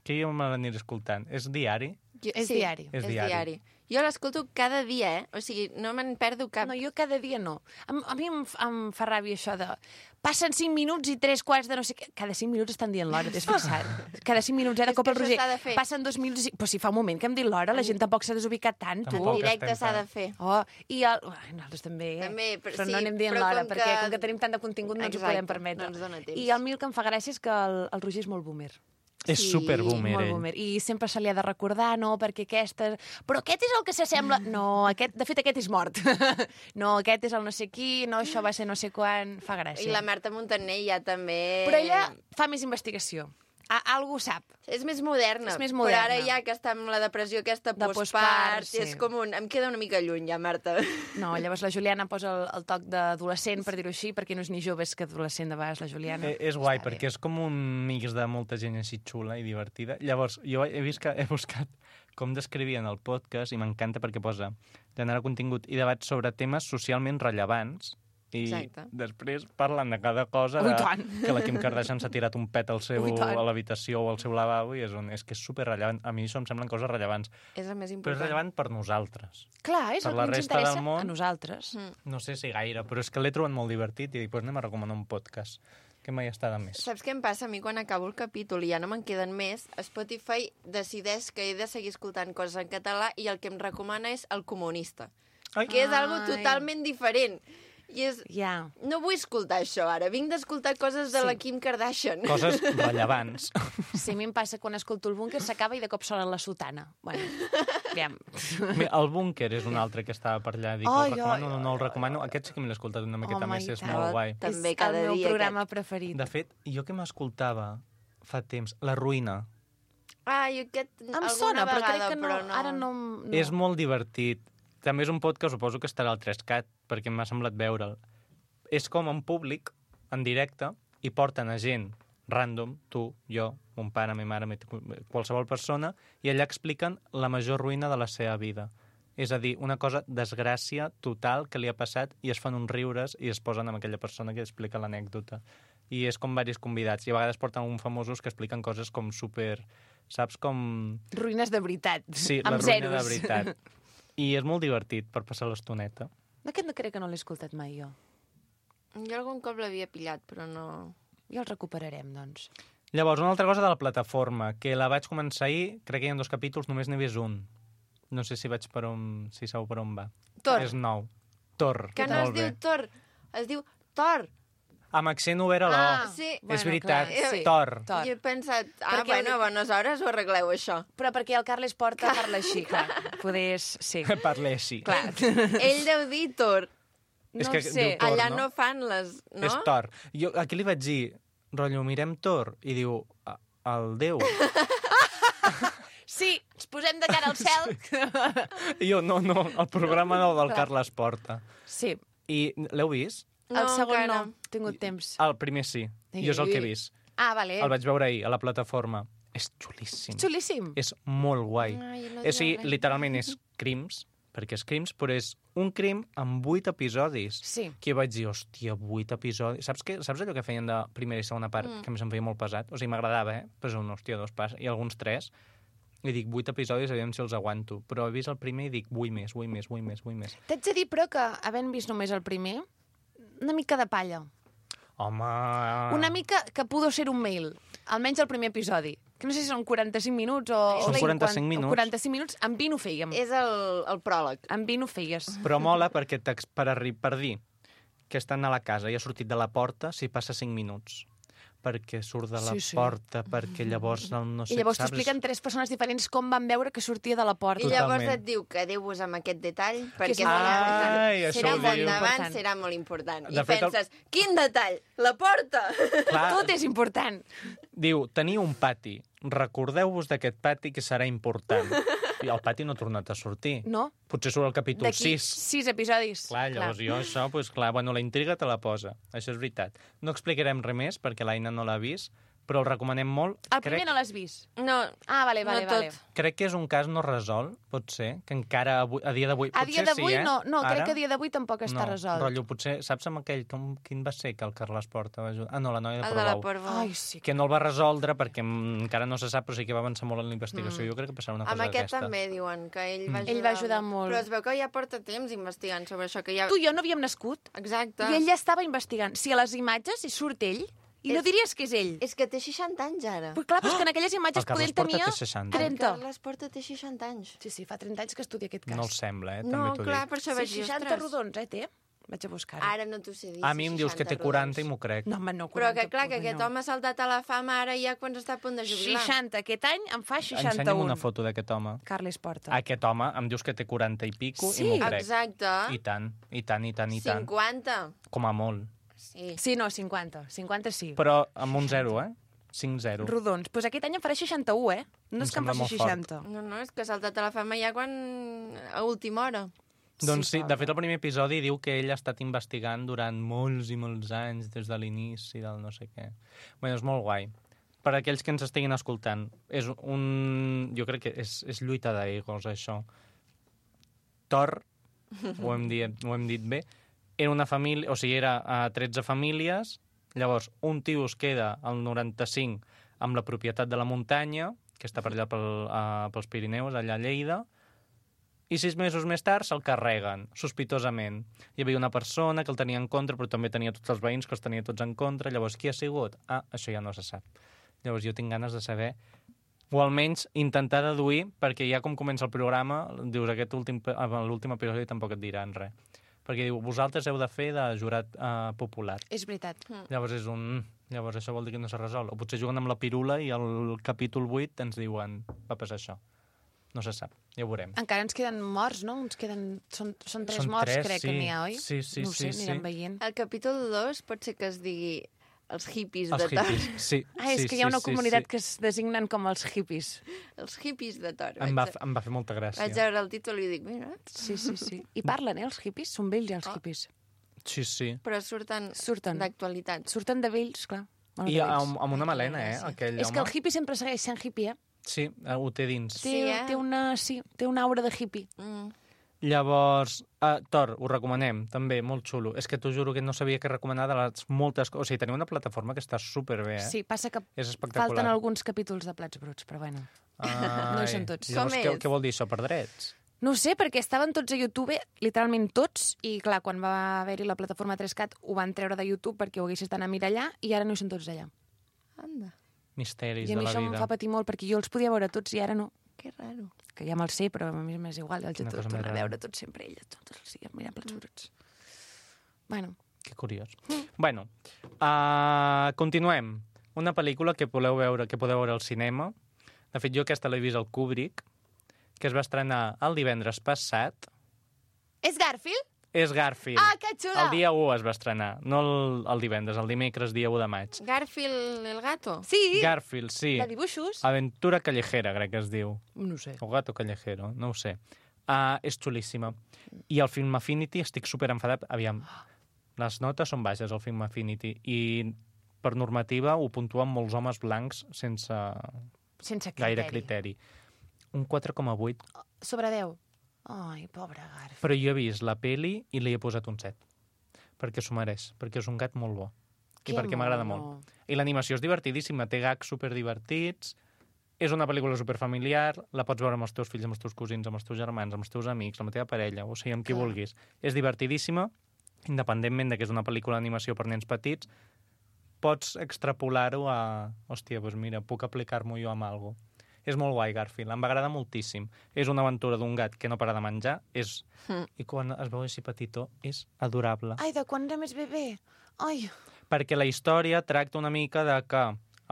que jo me l'aniré escoltant. És diari? Jo, És diari. És És diari. diari. Jo l'escolto cada dia, eh? O sigui, no me'n perdo cap. No, jo cada dia no. A, a mi em, f- em fa ràbia això de... Passen cinc minuts i tres quarts de no sé què. Cada cinc minuts estan dient l'hora, t'has fixat? Cada cinc minuts, eh, de És cop que el això Roger. s'ha de fer. Passen dos minuts i... Però si fa un moment que hem dit l'hora, la gent tampoc s'ha desubicat tant, tu. Tampoc. En directe estem s'ha de tant. fer. Oh, i el... Ai, nosaltres també, eh? També, però però sí, no anem dient però l'hora, com perquè que- com que tenim tant de contingut no ens ho Exacte, podem permetre. no ens dona temps. I el mi el que em fa gràcia és que el, el Roger és molt boomer. És Sí, super boomer, molt ell. boomer. I sempre se li ha de recordar, no, perquè aquesta... Però aquest és el que s'assembla... No, aquest, de fet, aquest és mort. No, aquest és el no sé qui, no, això va ser no sé quan... Fa gràcia. I la Marta Montaner ja també... Però ella fa més investigació. A, algú sap. És més moderna. És més Però moderna. ara ja que està amb la depressió aquesta De postpart, postpart, sí. és com un... Em queda una mica lluny ja, Marta. No, llavors la Juliana posa el, el toc d'adolescent, per dir-ho així, perquè no és ni jove, és que adolescent de vegades, la Juliana. Eh, és guai, Està bé. perquè és com un mix de molta gent així xula i divertida. Llavors, jo he vist que he buscat com descrivien el podcast i m'encanta perquè posa generar contingut i debats sobre temes socialment rellevants i Exacte. després parlen de cada cosa, Oh, i de, tant. que la Kim Kardashian s'ha tirat un pet al seu, Oh, i tant. a l'habitació o al seu lavabo i és, un, és que és superrellevant. A mi això em semblen coses rellevants, És el més però és important. rellevant per nosaltres. Clar, és Per el la que ens resta del interessa món- a nosaltres. Mm. No sé si gaire, però és que l'he trobat molt divertit i dic, pues anem a recomanar un podcast que mai està de més. Saps què em passa? A mi quan acabo el capítol i ja no me'n queden més, Spotify decideix que he de seguir escoltant coses en català i el que em recomana és El Comunista, Ai. que és algo Ai. totalment diferent. I és... Ja. No vull escoltar això ara, vinc d'escoltar coses de Sí. la Kim Kardashian. Coses rellevants. Sí, a mi em passa quan escolto el búnquer, s'acaba i de cop sona la sotana. Bueno, aviam. Mira, el búnquer és un altre que estava per allà. Dic, Ai, el recomano, ai, no, no el recomano. Aquest sí que me l'he escoltat una miqueta Home, més, i és tant. molt guai. També És cada el meu dia programa preferit. De fet, jo que m'escoltava fa temps, La Ruïna, Ai, aquest... Em alguna sona, però vegada, crec que no, però no. ara no... no. és molt divertit. També és un podcast, suposo que estarà al tres cat, perquè m'ha semblat veure'l. És com en públic, en directe, i porten a gent random, tu, jo, mon pare, ma mare, qualsevol persona, i allà expliquen la major ruïna de la seva vida. És a dir, una cosa, desgràcia total que li ha passat, i es fan uns riures i es posen amb aquella persona que explica l'anècdota. I és com varis convidats, i a vegades porten uns famosos que expliquen coses com super... Saps com... Ruïnes de veritat. Sí, la amb ruïna zeros. de veritat. I és molt divertit per passar l'estoneta. Aquest no crec que no l'he escoltat mai, jo. Jo algun cop l'havia pillat, però no... Ja el recuperarem, doncs. Llavors, una altra cosa de la plataforma, que la vaig començar ahir, crec que hi ha dos capítols, només n'he vist un. No sé si vaig per on... si sabeu per on va. Thor. És nou. Thor. Que no es molt diu bé. Thor, es diu Thor. Amb accent obert a l'O. Ah, sí. És veritat. clar, sí. Thor. Thor. Jo he pensat, ah, Perquè bueno, el- a bones hores ho arregleu, això. Però perquè el Carles Porta parla així, clar. Poder és... Sí. Parla així. Clar. Ell deu dir Thor. És No que ho sé. diu Thor, Allà no? no fan les... No? És Thor. Jo aquí li vaig dir, rotllo, mirem Thor, i diu, "A- el Déu. Sí, ens posem de cara al cel. I jo, no, no, el programa nou del Carles Porta. Sí, I l'heu vist? el segon encara. no. He tingut temps. El primer sí. Jo és el que he vist. Ah, vale. El vaig veure ahir, a la plataforma. És xulíssim. Xulíssim. És molt guai. Ai, no o sigui, diré res. literalment és crims, perquè és crims, però és un crim amb vuit episodis. Sí. Que jo vaig dir, hòstia, vuit episodis. Saps, que, saps allò que feien de primera i segona part? Mm. Que a mi se'm feia molt pesat. O sigui, m'agradava, eh? Però és un, hòstia, dos pas. I alguns tres. I dic, vuit episodis, aviam si els aguanto. Però he vist el primer i dic, vull més, vull més, vull més, vull més. T'haig de dir, però, que havent vist només el primer, una mica de palla. Home... Una mica que pudo ser un mail. Almenys el primer episodi. Que no sé si són quaranta-cinc minuts o... Són o quaranta-cinc cinquanta minuts. quaranta-cinc minuts, amb vint ho fèiem. És el, el pròleg. Amb vint ho feies. Però mola perquè t'ex- per, arri- per dir que estan a la casa i ha sortit de la porta s'hi passa cinc minuts. Perquè surt de la Sí, sí. porta, perquè llavors no, no sé, I llavors saps? t'expliquen tres persones diferents com van veure que sortia de la porta. I llavors Totalment. et diu, quedeu-vos amb aquest detall, és perquè molt serà, Ai, això serà ho molt diu. endavant, Important. serà molt important. De I fet, el- penses, quin detall? La porta! Clar, Tot és important. diu, teniu un pati, recordeu-vos d'aquest pati que serà important. I el pati no ha tornat a sortir. No? Potser surt al capítol D'aquí sis. sis episodis. Clar, llavors jo això, doncs clar, bueno, la intriga te la posa. Això és veritat. No explicarem res més, perquè l'Aina no l'ha vist, però el recomanem molt. El primer crec, no l'has vist? No, Ah, vale, vale, no vale. tot. crec que és un cas no resolt, pot ser, que encara avui, a dia d'avui... A potser dia d'avui sí, eh? no, no, crec Ara? que a dia d'avui tampoc està no, resolt. Rotllo, potser, saps amb aquell, com, quin va ser que el Carles Porta va ajudar? Ah, no, la noia de El de la Portbou. Portbou. Ai, sí. Que no el va resoldre perquè mm, encara no se sap, però sí que va avançar molt en la investigació. Mm. Jo crec que passarà una cosa Amb aquest d'aquesta. també diuen que ell va Mm. ajudar. Ell va ajudar molt. Però es veu que ja porta temps investigant sobre això, que ja... Tu i jo no havíem nascut Exacte. i ell ja estava investigant. Si a les imatges hi surt ell, i no És- diries que és ell. És que té seixanta anys, ara. Però clar, però és que en aquelles imatges El Carles poder ell Porta tenia té seixanta. El trenta. Carles Porta té seixanta anys. Sí, sí, fa trenta anys que estudia aquest cas. No el sembla, eh? No, També t'ho clar, dic. per això Sí, vaig dir, seixanta ostres. rodons, eh, té? Vaig a buscar-ho. Ara no t'ho sé dir. A mi em dius que té seixanta quaranta i rodons. m'ho crec. No, home, no, Però que quaranta, clar, que pobre, aquest no. home ha saltat a la fama ara ja quan està a punt de jubilar. seixanta, aquest any em fa Ensenya'm seixanta-un. una foto d'aquest home. Carles Porta. Aquest home em dius que té quaranta i pico Sí. i m'ho crec. Exacte. I tant, i tant, i tant, i tant. cinquanta. Com a molt. Sí. Sí, no, cinquanta. cinquanta sí. Però amb un zero, eh? cinc zero. Rodons. Doncs pues aquest any em farà seixanta-un, eh? No Em és que em sembla faci molt fort. seixanta. No, no, és que ha saltat a la fama ja quan... a última hora. Doncs sí, pobre. de fet el primer episodi diu que ell ha estat investigant durant molts i molts anys, des de l'inici del no sé què. Bé, és molt guai. Per aquells que ens estiguin escoltant, és un... jo crec que és, és lluita d'egos, això. Thor, ho hem dit, ho hem dit bé, era una família, o sigui, era a tretze famílies, llavors un tio es queda al noranta-cinc amb la propietat de la muntanya, que està per allà pel, uh, pels Pirineus, allà a Lleida, i sis mesos més tard se'l carreguen, sospitosament. Hi havia una persona que el tenia en contra, però també tenia tots els veïns que els tenia tots en contra. Llavors, qui ha sigut? Ah, això ja no se sap. Llavors, jo tinc ganes de saber, o almenys intentar deduir, perquè ja com comença el programa, dius, aquest últim, l'últim episodi tampoc et diran res. perquè diu, vosaltres heu de fer de jurat uh, popular. És veritat. Llavors és un... Llavors això vol dir que no s'ha resolt. O potser juguen amb la pirula i al capítol vuit ens diuen va passar això. No se sap, ja ho veurem. Encara ens queden morts, no? Ens queden... Són, són tres Són morts, tres, crec sí. que n'hi ha, oi? Sí, sí, no ho sé, sí, anirem sí. veient. Al capítol dos pot ser que es digui els hippies Els de Thor. hippies, sí. Ah, és sí, que hi ha una sí, comunitat sí. que es designen com els hippies. Els hippies de Thor. Em va, Vaig, em va fer molta gràcia. vaig veure el títol i dic, mira, Sí, sí, sí. I parlen, eh, els hippies? Són vells, ja, els Oh. hippies. Sí, sí. però surten, Surten. d'actualitat. Surten de vells, clar. Molt I de vells. amb, amb una melena, eh, Sí. aquell És que el home. hippie sempre segueix sent hippie, eh? Sí, ho té dins. Té, Sí, eh? té, una, sí, té una aura de hippie. Mm. Llavors, uh, Thor, ho recomanem, també, molt xulo. És que t'ho juro que no sabia què recomanar de les moltes coses. O sigui, teniu una plataforma que està superbé, eh? Sí, passa que És espectacular. falten alguns capítols de Plats Bruts, però bueno. Ai, No hi són tots. Llavors, Com què, és? què vol dir això, per drets? No ho sé, perquè estaven tots a YouTube, literalment tots, i clar, quan va haver-hi la plataforma tres cat ho van treure de YouTube perquè ho haguessis d'anar a mirar allà, i ara no hi són tots allà. Anda, Misteris I a de mi la això em vida. fa patir molt, perquè jo els podia veure tots i ara no. que raro. Que ja me'l sé, però a mi m'és igual, els he Quina tot cosa més tornar a rara. veure tots sempre elles, tots els dies, mirant Plats Bruts. Bueno, Que curiós. Bueno, uh, continuem. Una pel·lícula que podeu veure que podeu veure al cinema. De fet, jo aquesta l'he vist al Kubrick, que es va estrenar el divendres passat. és Garfield? És Garfield. Ah, que xula! El dia u es va estrenar, no el, el divendres, el dimecres, dia u de maig. Garfield el gato? Sí, Garfield, sí. de dibuixos. Aventura callejera, crec que es diu. No ho sé. O gato callejero, no ho sé. Uh, és xulíssima. I el Film Affinity, estic super enfadat. Aviam, les notes són baixes al Film Affinity i per normativa ho puntuen molts homes blancs sense Sense criteri. gaire criteri. Un quatre coma vuit. Sobre deu. Ai, pobre Garfield. Però jo he vist la peli i li he posat un set. Perquè s'ho mereix, perquè és un gat molt bo. I Que perquè m'agrada mono. molt. I l'animació és divertidíssima, té gags superdivertits, és una pel·lícula superfamiliar, la pots veure amb els teus fills, amb els teus cosins, amb els teus germans, amb els teus amics, amb la teva parella, o sigui, amb qui Clar. vulguis. És divertidíssima, independentment de que és una pel·lícula d'animació per nens petits, pots extrapolar-ho a... Hòstia, doncs mira, puc aplicar-m'ho jo amb alguna cosa. És molt guai, Garfield, em va agradar moltíssim. És una aventura d'un gat que no para de menjar, és... Mm. i quan es veu així petitó, és adorable. Ai, de quan era més bebè? Ai, Perquè la història tracta una mica de que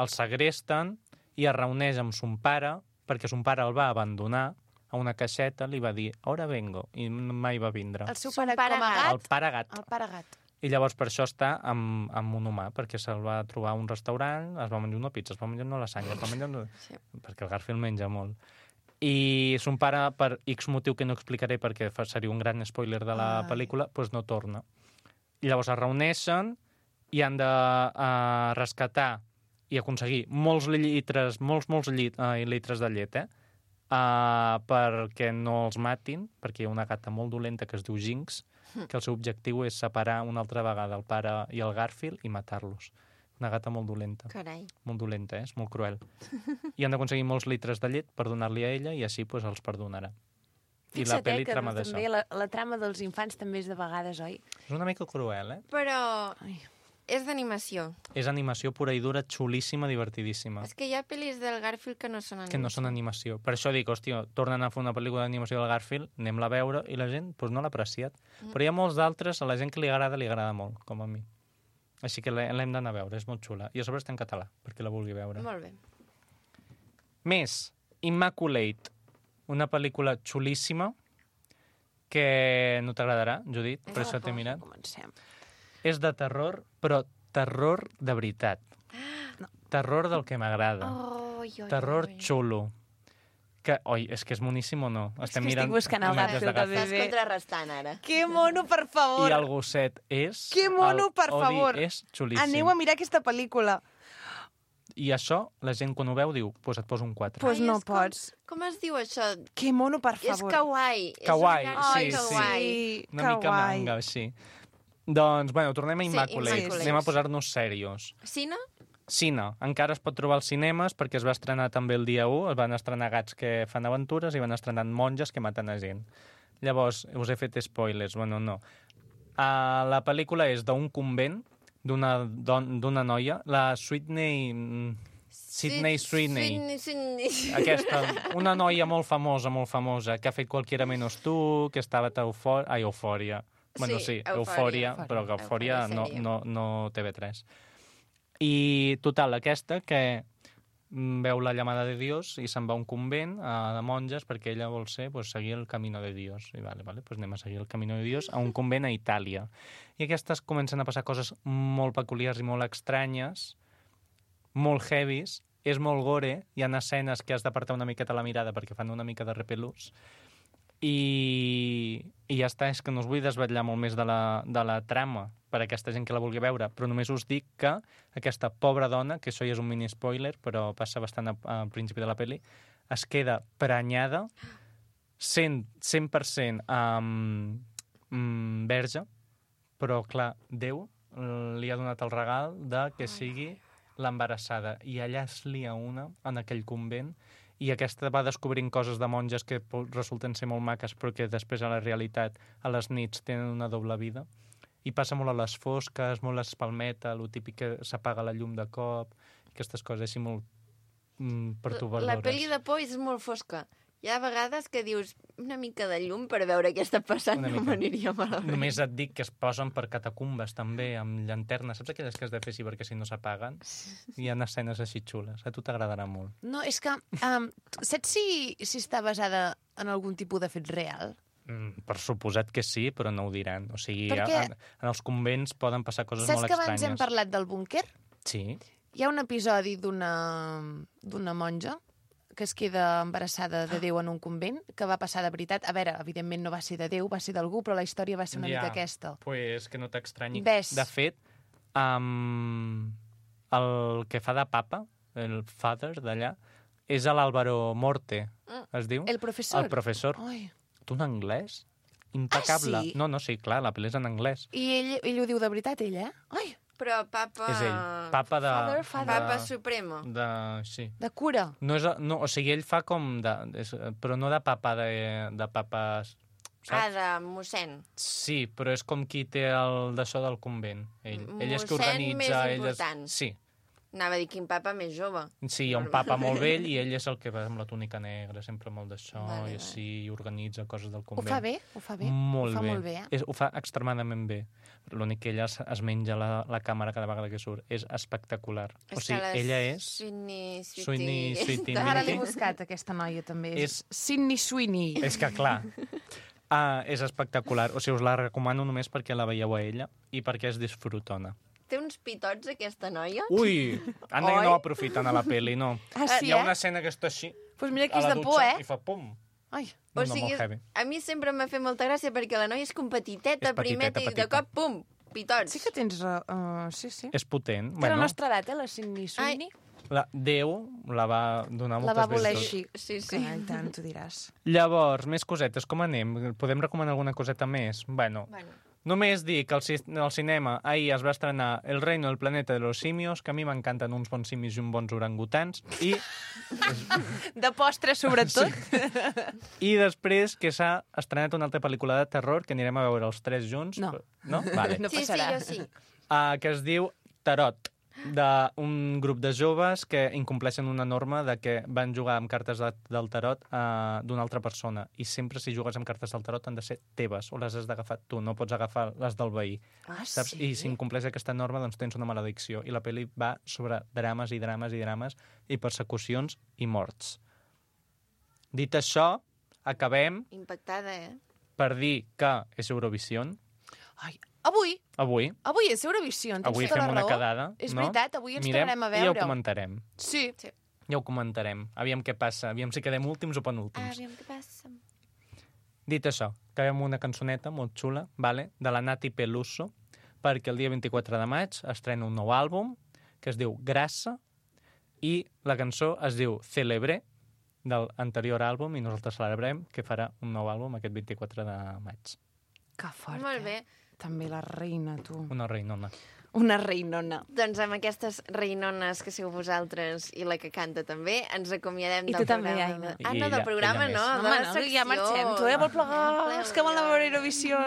el segresten i es reuneix amb son pare, perquè son pare el va abandonar a una caixeta, li va dir, ara vengo, i mai va vindre. el seu Son pare, pare com a gat. gat? El pare gat. El pare gat. I llavors per això està amb, amb un humà, perquè se'l va trobar a un restaurant, es va menjar una pizza, es va menjar una lasanya, es va menjar una... Sí. perquè el Garfield menja molt. I son pare, per X motiu que no explicaré perquè fa- seria un gran spoiler de la Ai. pel·lícula, doncs no torna. I llavors es reuneixen i han de uh, rescatar i aconseguir molts litres, molts, molts llit, uh, litres de llet, eh? Uh, perquè no els matin, perquè hi ha una gata molt dolenta que es diu Jinx, que el seu objectiu és separar una altra vegada el pare i el Garfield i matar-los. Una gata molt dolenta. Carai. Molt dolenta, eh? És molt cruel. I han d'aconseguir molts litres de llet per donar-li a ella i així pues, els perdonarà. I la Fixa't, pel·li eh, que trama d'això. també la, la trama dels infants també és de vegades, oi? És una mica cruel, eh? Però Ai. és d'animació. És animació pura i dura, xulíssima, divertidíssima. És que hi ha pel·lis del Garfield que no són animació. Que no són animació. Per això dic, hòstia, tornen a fer una pel·lícula d'animació del Garfield, anem-la a veure, i la gent pues, no l'ha apreciat. Mm. Però hi ha molts d'altres, a la gent que li agrada, li agrada molt, com a mi. Així que l'he- l'hem d'anar a veure, és molt xula. I a sobre està en català, perquè la vulgui veure. Molt bé. Més, Immaculate, una pel·lícula xulíssima que no t'agradarà, Judit, per això t'he mirat. Comencem. És de terror, però terror de veritat. No. Terror del que m'agrada. Oh, oi, oi, Terror oi. xulo. Que, oi, és que és moníssim o no? És que estic buscant el imatges de Garfield de Garfield. Estàs bebè. contrarrestant, ara. Que mono, per favor! I el gosset és... Que mono, el per Odi favor. és xulíssim. Aneu a mirar aquesta pel·lícula. I això, la gent quan ho veu diu, pues et poso un quatre. Pues Ai, no és com- pots. Com es diu això? Que mono, per És favor. kawaii. Kawaii, és un sí, Ai, kawaii. sí. Una mica kawaii. manga, així. Doncs, bueno, tornem a Sí, Immaculate. Immaculate. Anem a posar-nos serios. Cine? Cine. Encara es pot trobar als cinemes perquè es va estrenar també el dia u. Es van estrenar gats que fan aventures i van estrenar monges que maten a gent. Llavors, us he fet spoilers. Bueno, no. Uh, la pel·lícula és d'un convent, d'una don- d'una noia, la Sydney... mm, Sydney Sweeney. Sydney, Sydney. Aquesta, una noia molt famosa, molt famosa, que ha fet Qualquiera menos tu, que estava a Eufòria... Ai, Eufòria. Bueno, sí, Eufòria, però que Eufòria no, no, no T V tres. I, total, aquesta que veu la llamada de Dios i se'n va a un convent uh, de monges perquè ella vol ser, pues, seguir el camino de Dios. I vale, vale, pues anem a seguir el camino de Dios a un convent a Itàlia. I aquestes comencen a passar coses molt peculiars i molt estranyes, molt heavies, és molt gore, hi ha escenes que has d'apartar una miqueta la mirada perquè fan una mica de repelús. I, i ja està, és que no us vull desvetllar molt més de la, de la trama per a aquesta gent que la vulgui veure, però només us dic que aquesta pobra dona, que això ja és un mini spoiler, però passa bastant al principi de la pel·li, es queda prenyada cent per cent um, um, verge, però clar, Déu li ha donat el regal de que sigui l'embarassada, i allà es lia una en aquell convent, i aquesta va descobrint coses de monges que resulten ser molt maques, però que després a la realitat, a les nits, tenen una doble vida. I passa molt a les fosques, molt espalmeta, el típic que s'apaga la llum de cop, aquestes coses així molt mm, pertorbadores. La pel·li de por és molt fosca. Hi ha vegades que dius una mica de llum per veure què està passant, no m'aniria malament. Només et dic que es posen per catacumbes també, amb llanternes. Saps aquelles que has de fer així perquè si no s'apaguen? Hi ha escenes així xules. A tu t'agradarà molt. No, és que... Um, saps si, si està basada en algun tipus de fet real? Mm, per suposat que sí, però no ho diran. O sigui, perquè... en, en els convents poden passar coses saps molt estranyes. Saps que abans hem parlat del búnquer? Sí. Hi ha un episodi d'una d'una monja que es queda embarassada de Déu en un convent, que va passar de veritat. A veure, evidentment no va ser de Déu, va ser d'algú, però la història va ser una ja, mica aquesta. Pues que no t'extranyi. Ves. De fet, um, el que fa de papa, el father d'allà, és l'Álvaro Morte, es diu? El professor? El professor. Ai. Tu en anglès? Impecable. Ah, sí? No, no, sí, clar, la pel·li és en anglès. I ell, ell ho diu de veritat, ell, eh? Ai. Però papa... És ell. Papa de... Father, father. Papa supremo. De... Sí. De cura. No és, no, o sigui, ell fa com de... És, però no de papa de, de papa... Saps? Ah, de mossèn. Sí, però és com qui té el d'això del convent. Ell, ell és que Mossèn organitza... més ell important. És... Sí. Anava a dir quin papa més jove. Sí, hi ha un papa molt vell i ell és el que va amb la túnica negra, sempre molt d'això, Vale, i així, i organitza coses del Ho convent. fa bé, ho fa bé. Molt ho fa bé. molt bé, eh? És, ho fa extremadament bé. L'únic que ella es, es menja la, la càmera cada vegada que surt. És espectacular. És o sigui, que ella és... Sweeney, Sweeney, Sweetie, Ara l'he Minty. buscat, aquesta noia, també. És, És- Sydney Sweeney. És que, clar, ah, és espectacular. O sigui, us la recomano només perquè la veieu a ella i perquè és disfrutona. Té uns pitots, aquesta noia? Ui! Anda que Oi? no aprofiten a la peli, no. Ah, sí, Hi ha eh? una escena que està així, Pues mira que a és la de dutxa, por, eh? i fa pum. Ai. No, O no, sigui, molt heavy. a mi sempre m'ha fet molta gràcia perquè la noia és com petiteta, És petiteta, primeta, i de petita. cop, pum, pitots. Sí que tens... Uh, sí, sí. És potent. Té la Bueno, nostra edat, eh, la Sydney Sweeney. la, Déu la va donar La moltes va voler virtuts. així. Sí, sí. Carai, tant, tu diràs. Llavors, més cosetes, com anem? Podem recomanar alguna coseta més? Bueno, Bueno, només dir que al, ci al cinema ahir es va estrenar El reino del planeta de los simios, que a mi m'encanten uns bons simis i uns bons orangutans, i, De postre, sobretot. i després que s'ha estrenat una altra pel·lícula de terror, que anirem a veure els tres junts. No. No? Vale. No sí, sí, passarà. jo sí. uh, que es diu Tarot, d'un grup de joves que incompleixen una norma de que van jugar amb cartes de, del tarot uh, d'una altra persona, i sempre si jugues amb cartes del tarot han de ser teves, o les has d'agafar tu, no pots agafar les del veí. Ah, Saps? sí? I si incompleix aquesta norma, doncs tens una maledicció. I la pel·li va sobre drames i drames i drames i persecucions i morts. Dit això, acabem Impactada, eh? per dir que és Eurovision. Ai, avui, Avui, avui és Eurovisió, tens avui tota fem la una raó. quedada. És no? veritat, avui ens Mirem tornarem a I ja ho veure. comentarem. Sí. Sí. Ja ho comentarem. Aviam què passa. Aviam si quedem últims o penúltims. Aviam què passa. Dit això, acabem amb una cançoneta molt xula, vale? De la Nati Peluso, perquè el dia vint-i-quatre de maig estrena un nou àlbum que es diu Grassa, i la cançó es diu Celebré, del anterior àlbum, i nosaltres celebrem que farà un nou àlbum aquest vint-i-quatre de maig. Que fort, Molt bé. eh? També la reina, tu. Una reinona. Una reinona. Doncs amb aquestes reinones que sou vosaltres i la que canta també, ens acomiadem I del tu també, programa. Aina. Ah, I no, ella- del programa ella no, més. de Home, la no, secció. ja marxem. Tu, eh? Vol plegar? Els que volen veure Eurovisió.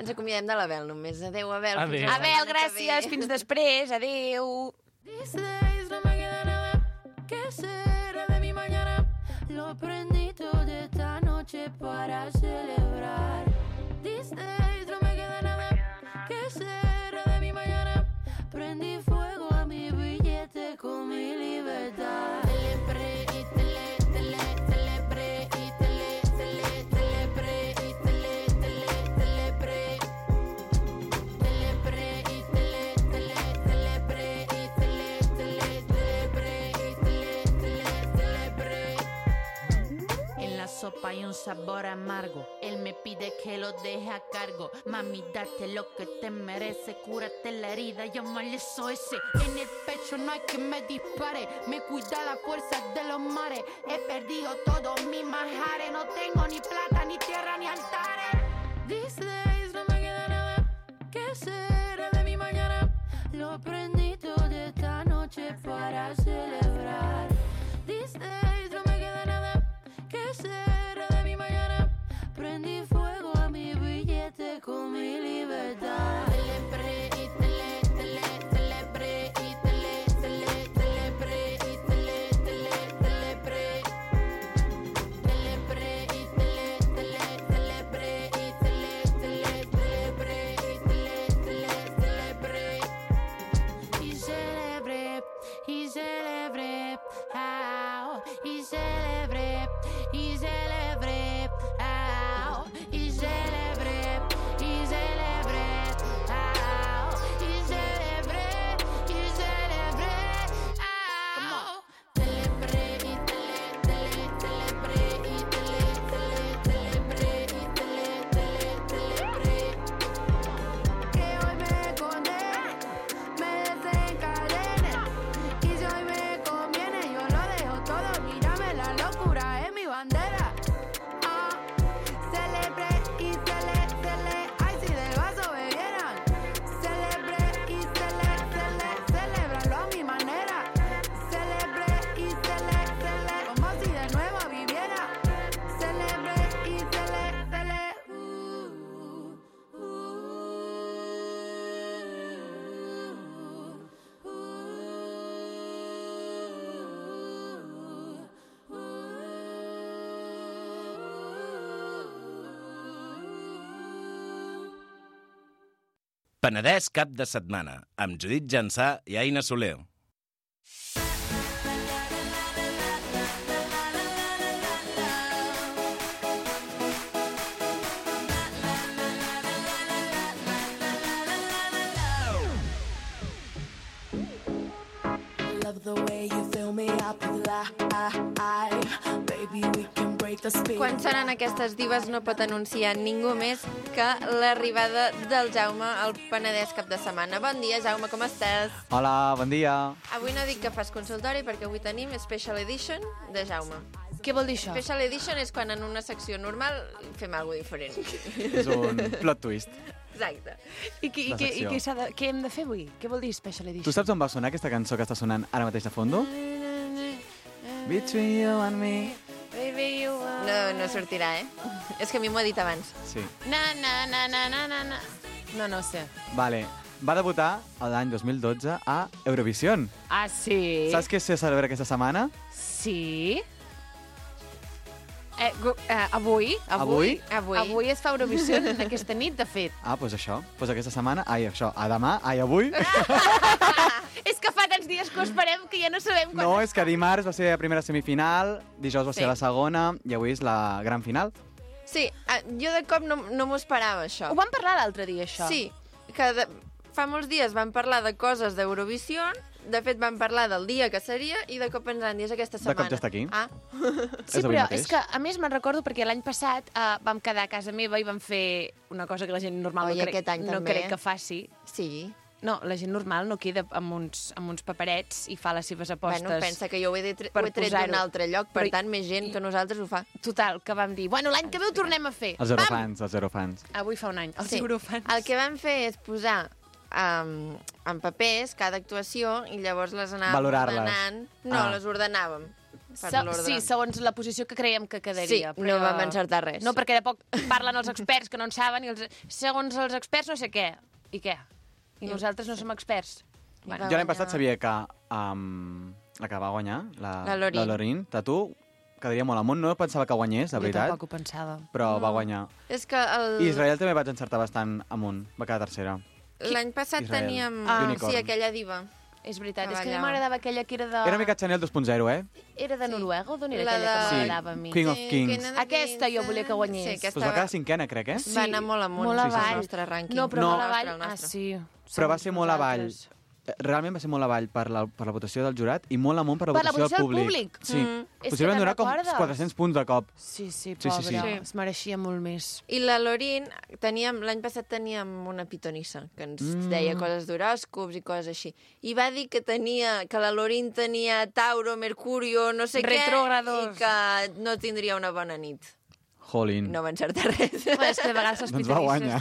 Ens acomiadem de l'Abel només. Adéu, Abel. Adéu. Fins la Abel, setmana que gràcies. ve. Fins després. Adéu. These days no me queda nada que será de mi mañana. Lo prendí todo esta noche para celebrar. These days no me queda hay un sabor amargo. Él me pide que lo deje a cargo. Mami, date lo que te merece, cúrate la herida, llama al S O S. En el pecho no hay que me dispare, me cuida la fuerza de los mares. He perdido todos mis majares, no tengo ni plata, ni tierra, ni altares. These days no me queda nada, ¿qué será de mi mañana? Lo prendí todo esta noche para celebrar. These days no me queda nada, ¿qué será de mi mañana? Prendí fuego a mi billete con mi libertad. Celebré y tele, tele, celebré y tele, tele, celebré y tele, tele, celebré. Celebré y tele, tele, celebré y tele, tele, celebré y tele, tele, celebré. Y celebré, y celebré, ah, y celebré, y celebré, ah, y celebré, y celebré, ah, y celebré, y celebré, ah. Celebré y tele, tele, celebré y tele, tele, celebré y tele, tele, celebré. Que hoy me condene, me desencadene, y si hoy me conviene, yo lo dejo todo, mírame, la locura es mi bandera. Ah, celebré y cele, cele, ay, si del vaso bebieran. Celebré y cele, cele, celebrarlo a mi manera. Celebré y cele, cele, como si de nuevo viviera. Celebré y cele, cele, uh, uh, uh, Penedès cap de setmana, amb Judit Jansà i Aina Soler. love the way you fill me up with life. Baby, we can break the speed. Quan seran aquestes divas no pot anunciar ningú més que l'arribada del Jaume al Penedès cap de setmana. Bon dia, Jaume, com estàs? Hola, bon dia. Avui no dic que fas consultori perquè avui tenim Special Edition de Jaume. Què vol dir això? Special Edition és quan en una secció normal fem alguna diferent. És un plot twist. Exacte. I, què, i, què, i què, s'ha de, què hem de fer avui? Què vol dir Special Edition? Tu saps on va sonar aquesta cançó que està sonant ara mateix de fondo? Between you and me. Baby, you are... No, no sortirà, eh? És que a mi m'ho ha dit abans. Sí. Na, na, na, na, na, na, na. No, no sé. Vale. Va debutar l'any dos mil dotze a Eurovision. Ah, sí? Saps què se celebra aquesta setmana? Sí? Eh, gu- eh, avui, Avui? Avui. avui es fa Eurovision aquesta nit, de fet. Ah, doncs això. Doncs aquesta setmana... Ai, això. A demà. Ai, avui. És que fa tants dies que ho esperem que ja no sabem quan... No, és que dimarts va ser la primera semifinal, dijous va ser Sí. la segona i avui és la gran final. Sí, eh, jo de cop no, no m'ho esperava, això. Ho vam parlar l'altre dia, això. Sí, que de, fa molts dies vam parlar de coses d'Eurovisió, de fet vam parlar del dia que seria i de cop ens han dit aquesta De setmana. cop ja està aquí. Ah. Sí, És avui però mateix. és que, a més, me'n recordo perquè l'any passat uh, vam quedar a casa meva i vam fer una cosa que la gent normal Oi, no, crec, aquest any no també, crec eh? que faci. Sí. No, la gent normal no queda amb uns, amb uns paperets i fa les seves apostes. Bueno, pensa que jo ho he, de, per ho he tret posar-ho. d'un altre lloc, per Però- tant, més gent que nosaltres ho fa. Total, que vam dir, bueno, l'any que ve ho tornem a fer. Els eurofans, els eurofans. Avui fa un any, els Sí. eurofans. El que vam fer és posar um, en papers cada actuació i llavors les anàvem Valorar-les. ordenant. No, Ah. les ordenàvem. Per Se- l'ordre. sí, segons la posició que creiem que quedaria. Sí, no vam encertar res. No, perquè de poc parlen els experts que no en saben i els, segons els experts no sé què. I què? I nosaltres no som experts. Bueno, Jo l'any passat sabia que um, la que va guanyar, la, La Lorin. la Lorin, Tatu, quedaria molt amunt. No pensava que guanyés, de jo veritat, tampoc ho pensava. però va guanyar. És que el... I Israel també vaig encertar bastant amunt, va quedar tercera. l'any passat Israel. teníem... Ah. sí, Unicorn. aquella diva. És veritat, Que és que a mi ballava. m'agradava aquella que era de... Era una mica Chanel dos punt zero, eh? Era de Noruega o d'on era La aquella que de- m'agradava a mi? Queen of Sí, Kings. Queen of Aquesta jo volia que guanyés. Sí, aquesta Pues va quedar cinquena, crec, eh? va anar molt amunt molt el avall. nostre rànquing. No, però No. molt El nostre, avall. el Ah, nostre. sí. Però va Segons ser molt avall. nosaltres. realment va ser molt avall per la, per la votació del jurat i molt amunt per la Per la votació, votació del del públic? públic. Sí. Mm. És que Possiblement te'n donar com recordes? quatre-cents punts de cop. Sí, sí, Sí, pobra. sí, sí. Es mereixia molt més. I la Lorin, teníem, l'any passat teníem una pitonissa que ens Mm. deia coses d'horòscops i coses així. I va dir que tenia que la Lorin tenia Tauro, Mercurio, no sé Retrógrados. què, i que no tindria una bona nit. Jolín. No va encertar res. Bueno, és que de vegades els Doncs va guanyar.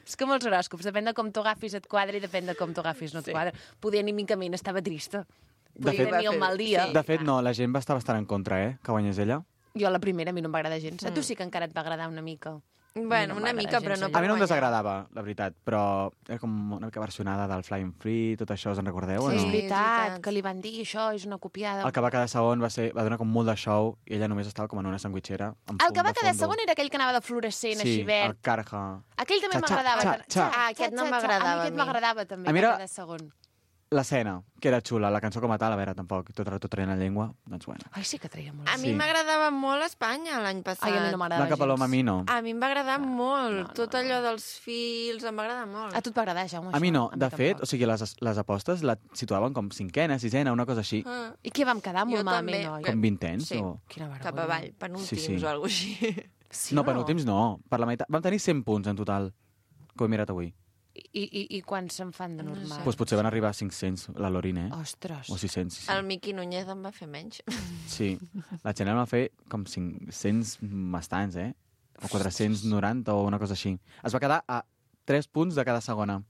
És com els horòscops, depèn de com t'ho agafis et quadra i depèn de com t'ho agafis no et Sí. quadra. Poder anímicament estava trista. De Podia fet- tenir un mal dia. De fet, no, la gent va estar bastant en contra, eh, que guanyés ella. Jo la primera, a mi no em va agradar gens. A tu Mm. sí que encara et va agradar una mica. Bueno, no una m'agrada mica, gens però no allò. A mi no em guanyar. desagradava, la veritat, però era com una mica versionada del Flying Free, tot això, us en recordeu o Sí, no? és és veritat, veritat. que li van dir això, és una copiada. El que va quedar segon va, ser, va donar com molt de show i ella només estava com en una sandwitxera. Amb El fum que va de quedar fondo. segon era aquell que anava de fluorescent, Sí, així verd. el Carja. Aquell també Xa, xa, m'agradava. xa, que- xa. Ah, aquest no xa, xa. m'agradava A mi a aquest mi. m'agradava també, A mi va era- quedar segon. L'escena, que era xula, la cançó com a tal, a veure, tampoc, tot, tot traient la llengua, doncs bueno. Ai, sí que treia molt. A mi Sí. m'agradava molt Espanya l'any passat. Ai, a mi no m'agradava Blanca Paloma a mi no. A mi em va agradar molt. no, no, Tot no. allò dels fils em va agradar molt. A tu et va agradar, Jaume, A mi això? no, de fet, tampoc. o sigui, les, les apostes la situaven com cinquena, sisena, una cosa així, Ah, I què vam quedar? Molt Jo malament, també. oi? com vintens Sí. o... Quina vergonya. cap avall, penúltims Sí, sí. o alguna cosa així. Sí, no, o penúltims no, per la meitat. Vam tenir cent punts en total, que ho he mirat avui. I, i, i quants se'n fan de No normal? Doncs pues potser van arribar a cinc-cents, la Lorin, eh? Ostres. O sis-cents, sí, sí. El Miqui Núñez em va fer menys. Sí, la Chanel va fer com cinc-cents bastants, eh? O quatre-cents noranta o una cosa així. Es va quedar a tres punts de cada segona.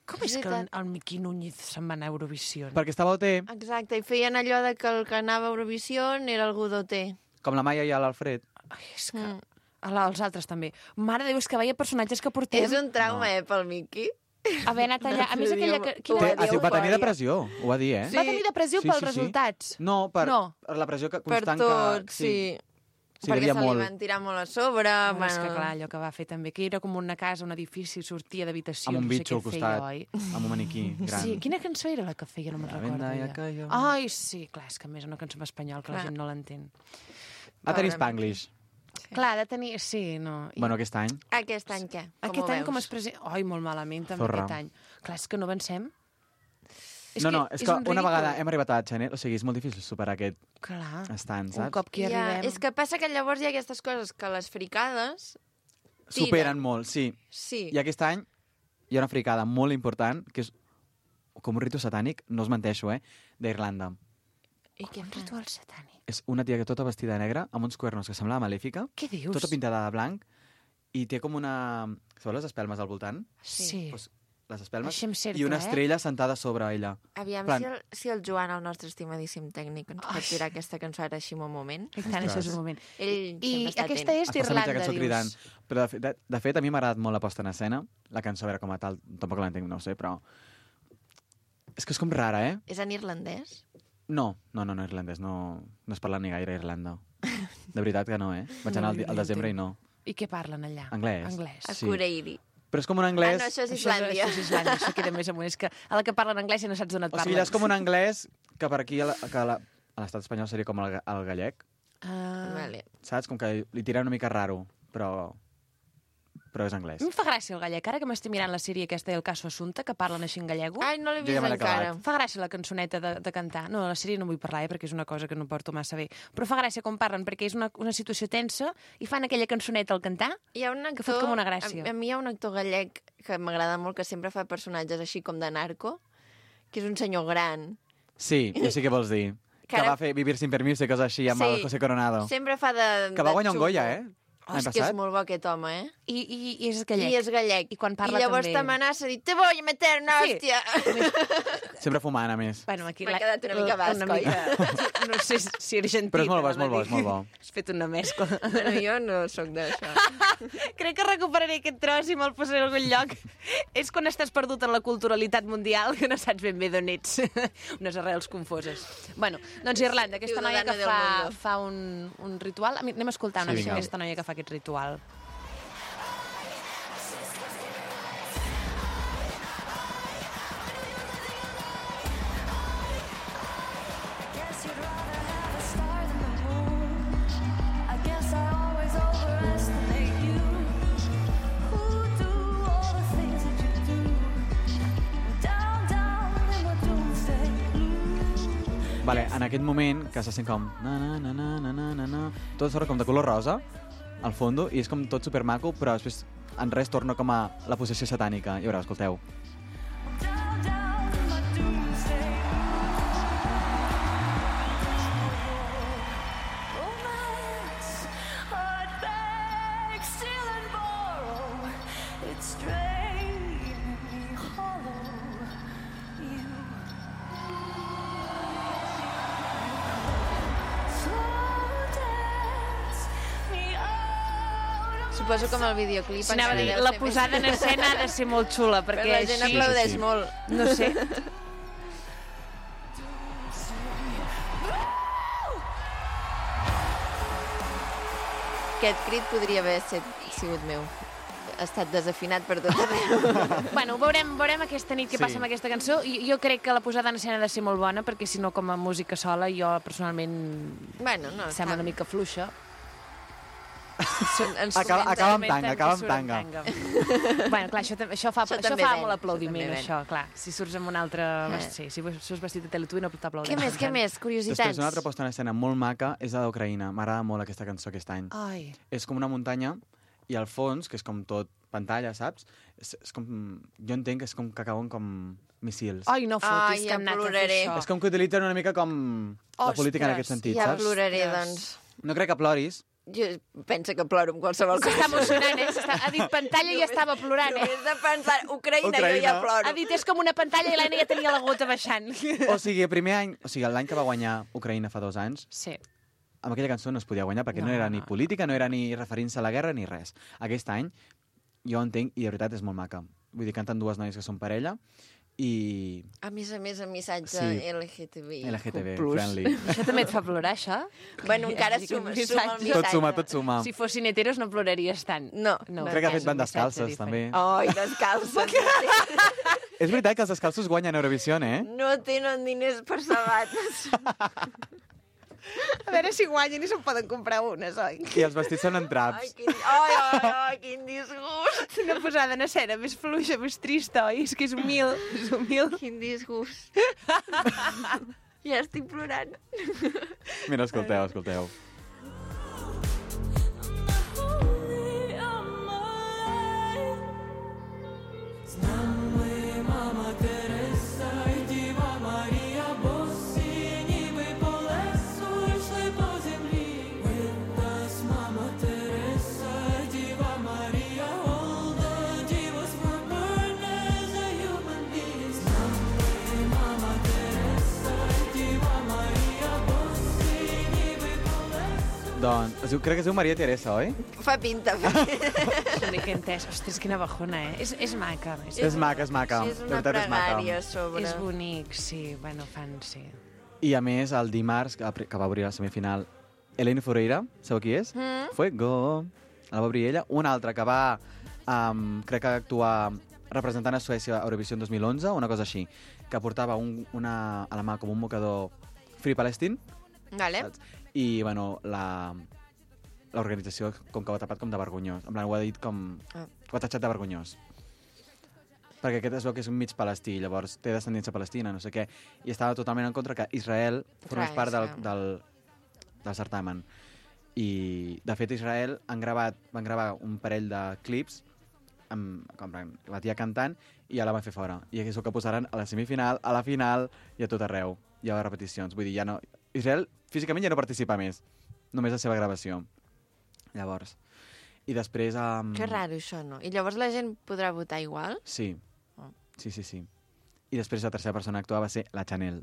Com és que el, el Miqui Núñez se'n va anar a Eurovisió? Perquè estava a O T, Exacte, i feien allò de que el que anava a Eurovisió era algú d'O T. com la Maia i l'Alfred. Ai, és que... Mm. Ala, els altres també. Mare de Déu, és que veia personatges que portem... És un trauma, no. eh, pel Miqui. Haver anat allà... A més, aquella... Que, Ho quina... va Té, dir ha, va tenir eufòria. depressió, ho va dir, eh? Va tenir depressió Sí, pels sí, sí. resultats. No, per, No. per la pressió que, Per constant tot, que... sí. Sí, Perquè devia se molt. li van tirar molt a sobre. Bueno, bueno, és que clar, allò que va fer també, que era com una casa, un edifici, sortia d'habitació, Amb un no sé bitxo què al costat, feia, oi? amb un maniquí gran. Sí, quina cançó era la que feia? No me'n La recordo. venda ja ja. cayó. Ai, sí, clar, és que a més és una cançó en espanyol que la Clar. gent no l'entén. Va tenir Pobre Spanglish. Clar, de tenir... Sí, no. I Bueno, aquest any. Aquest any què? Com aquest ho any com veus? es presenta... Ai, molt malament, també, Zorra. aquest any. Clar, és que no avancem. no, no, és, que un una ridícul. vegada hem arribat a la Chanel, o sigui, és molt difícil superar aquest Clar, estant, un saps? cop que hi Ja, arribem... és que passa que llavors hi ha aquestes coses que les fricades... tiren. Superen molt, sí. Sí. I aquest any hi ha una fricada molt important, que és com un ritu satànic, no us menteixo, eh, d'Irlanda. I què Un fan? ritual satànic. És una tia que tota vestida de negre, amb uns cuernos que semblava malèfica, Què dius? tota pintada de blanc, i té com una... Sabeu les espelmes al voltant? Sí. Pues, les espelmes. Així en cercle, I una eh? estrella sentada sobre ella. Aviam Plan- si el, si el Joan, el nostre estimadíssim tècnic, ens pot Ai. tirar aquesta cançó ara així un moment. I tant, això és un moment. Ell I sempre està aquesta atent. és Es passa mitja d'Irlanda, cançó cridant. dius. Però, de, fet- de, de fet, a mi m'ha agradat molt la posta en escena. La cançó, a veure, com a tal, tampoc l'entenc, no ho sé, però... És que és com rara, eh? És en irlandès? No, no, no, no irlandès, no, no es parla ni gaire a Irlanda. De veritat que no, eh? Vaig anar al, di- al desembre i no. I què parlen allà? Anglès. Anglès. A Sí. Cureiri. Però és com un Ah, anglès... no, això és Això és, Islàndia. això és Islàndia, això queda més amunt. És que a la que parlen anglès ja no saps d'on et O parlen. sigui, allà és com un anglès que per aquí a la- que a la- a l'estat espanyol seria com el, ga- el gallec, Ah. Vale. saps? Com que li tira una mica raro, però, però és anglès. A mi em fa gràcia el gallec. Ara que m'estic mirant la sèrie aquesta del Caso Assumpta, que parlen així en gallego, Ai, no l'he Jo vist ja me l'he encara. acabat. em fa gràcia la cançoneta de, de cantar. No, la sèrie no vull parlar, eh, perquè és una cosa que no porto massa bé. Però fa gràcia com parlen, perquè és una, una situació tensa i fan aquella cançoneta al cantar. Hi ha un Que actor... fot com una gràcia. A, a mi hi ha un actor gallec que m'agrada molt, que sempre fa personatges així com de narco, que és un senyor gran. Sí, ja sé què vols dir. Que Que ara- va fer Vivir sin permiso i coses així amb Sí. el José Coronado. Sempre fa de... Que va de guanyar un xungo. Goya, eh? Oh, L'any és que és passat. molt bo aquest home, eh? I, i, i és gallec. I és gallec. I quan parla I llavors també... t'amenaça a dir, te voy a meter una Sí. hòstia. Sempre fumant, a més. Bueno, aquí M'ha la- quedat una mica basc, una oi? mica... No sé si argentina. Però és molt bo, és molt bo, va és molt bo. dir. Has fet una mescla. Bueno, jo no sóc d'això. Crec que recuperaré aquest tros i me'l posaré a algun lloc. És quan estàs perdut en la culturalitat mundial que no saps ben bé d'on ets. Unes arrels confoses. Bueno, doncs Irlanda, aquesta noia que Ciudadano del fa, mundo. fa un, un ritual. A mi- Anem a escoltar una Sí, mica vinga. aquesta noia que fa aquest ritual. Down, down Vale, en aquest moment, que se sent com... Na, na, na, na, na, na, na, na, tot sort com de color rosa, al fondo, i és com tot supermaco, però després en res torna com a la possessió satànica. I veureu, escolteu. Suposo que amb el videoclip... Sí, anava a dir, la posada en escena ha de ser molt xula, perquè però la gent així... aplaudeix sí, sí. molt. No sé. Aquest crit podria haver set, sigut meu. Ha estat desafinat per tot arreu. Bueno, veurem, veurem aquesta nit què Sí. passa amb aquesta cançó. I jo crec que la posada en escena ha de ser molt bona, perquè si no, com a música sola, jo personalment Bueno, no, em sembla una mica fluixa. Ens Acaba, comenta- acaba amb Comenten tanga, que acaba amb surt amb tanga. tanga. Bueno, clar, això, tam- això fa, Això això també fa ven, molt això aplaudiment, també ven. això, clar. Si surts amb un altre... Eh. Sí, si surts vestit de Teletubby no t'aplaudeix. Què més, què més? Curiositats. Després, una altra posta en escena molt maca és la d'Ucraïna. M'agrada molt aquesta cançó aquest any. Ai, És com una muntanya i al fons, que és com tot pantalla, saps? És, és com... Jo entenc que és com que cauen com missils. Ai no fotis Ai, que ja hem anat a fer ploraré. això. És com que utilitzen una mica com la Ostres, política en aquest sentit, Ja saps? ploraré, Ostres. doncs. No crec que ploris. Jo penso que ploro amb qualsevol cosa. S'està emocionant, eh? S'està- Ha dit pantalla i ja estava plorant, eh? Només de pensar, Ucraïna, Ucraïna. jo ja ploro. Ha dit, és com una pantalla i l'Anna ja tenia la gota baixant. O sigui, el primer any, o sigui, l'any que va guanyar Ucraïna fa dos anys, Sí. amb aquella cançó no es podia guanyar perquè no, No, no era ni no. política, no era ni referint-se a la guerra ni res. Aquest any, jo entenc, i de veritat és molt maca. Vull dir, canten dues noies que són parella i A més a més, un missatge Sí. L G T B I. L G T B, plus. friendly. Això també et fa plorar, això? Bueno, encara Sí, que suma, un suma el missatge. missatge. Tot suma, tot suma. Si fossin heteros no ploraries tant. No. no Crec que ha és fet van un missatge descalces, diferent. també. Ai, descalces. És veritat que els descalços guanyen Eurovisió, eh? No tenen diners per sabates. A veure si guanyen i se'n poden comprar unes, oi? I els vestits són en Ai, traps. quin, ai, ai, ai, quin disgust. Una posada en escena més fluixa, més trista, oi? És que és humil, és humil. Quin disgust. Ja estic plorant. Mira, escolteu, escolteu. Doncs, es diu, crec que es diu Maria Teresa, oi? Fa pinta. Fa pinta. No dic que he entès. Ostres, quina bajona, eh? És, és maca. És, És maca, és maca. Sí, és De una veritat és maca. pregària a sobre. és bonic, sí. Bueno, fan, sí. I a més, el dimarts, que que va obrir la semifinal, Eleni Foureira, sabeu qui és? Mm. Fuego. La va obrir ella. Una altra que va, um, crec que actuar representant a Suècia a Eurovisió dos mil onze, una cosa així, que portava un, una, a la mà com un mocador Free Palestine, Vale. saps? I, bueno, la l'organització com que ho ha tapat com de vergonyós. En plan, ho ha dit com... Ah. Ho ha tatxat de vergonyós. Perquè aquest es veu que és un mig palestí, llavors té descendència palestina, no sé què, i estava totalment en contra que Israel formés Clar, part del, Israel. del, del certamen. I, de fet, Israel han gravat, van gravar un parell de clips amb, com la tia cantant i ja la van fer fora. I és el que posaran a la semifinal, a la final i a tot arreu. Hi ha repeticions. Vull dir, ja no... Israel físicament ja no participa més. Només la seva gravació. Llavors. I després... Um... Que raro, això, no? I llavors la gent podrà votar igual? Sí. Oh. Sí, sí, sí. I després la tercera persona a actuar va ser la Chanel.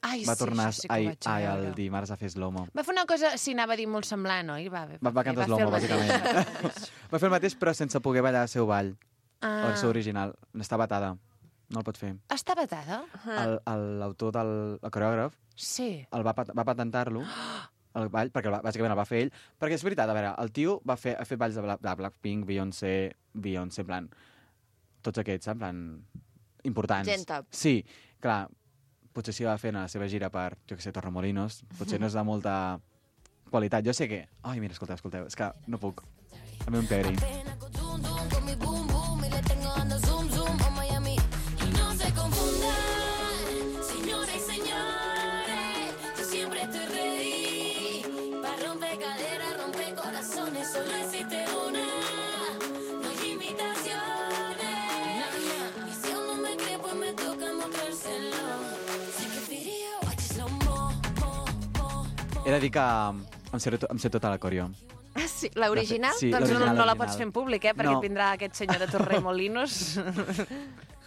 Ai, Va sí, tornar això sí que ho ai, vaig ai, veure. el dimarts a fer slow-mo. Va fer una cosa, sí, anava a dir molt semblant, oi? Va, Va, va cantar fer slow-mo, el mateix. bàsicament. Va fer el mateix, però sense poder ballar el seu ball. Ah. O el seu original. Està batada. No el pot fer. Està batada? El- el- L'autor del el coreògraf Sí. el va, pat- va patentar-lo, el ball, perquè el va, bàsicament el va fer ell. Perquè és veritat, a veure, el tio va fer, ha fet balls de, Bla- de Blackpink, Beyoncé, Beyoncé, en plan... Tots aquests, en plan... Importants. Gent top. Sí, clar, potser si va fent a la seva gira per, jo què sé, Torremolinos, potser no és de molta qualitat. Jo sé que... Ai, mira, escolteu, escolteu, és que no puc. A mi un peri. Con mi boom boom y le tengo dando zoom zoom a Miami. Y no se confundan, señores y señores, He de dir que em sé, em sé tota la coreo. Ah, sí? L'original? Sí, Doncs no, l'original, no la l'original. pots fer en públic, eh? Perquè No. vindrà aquest senyor de Torremolinos.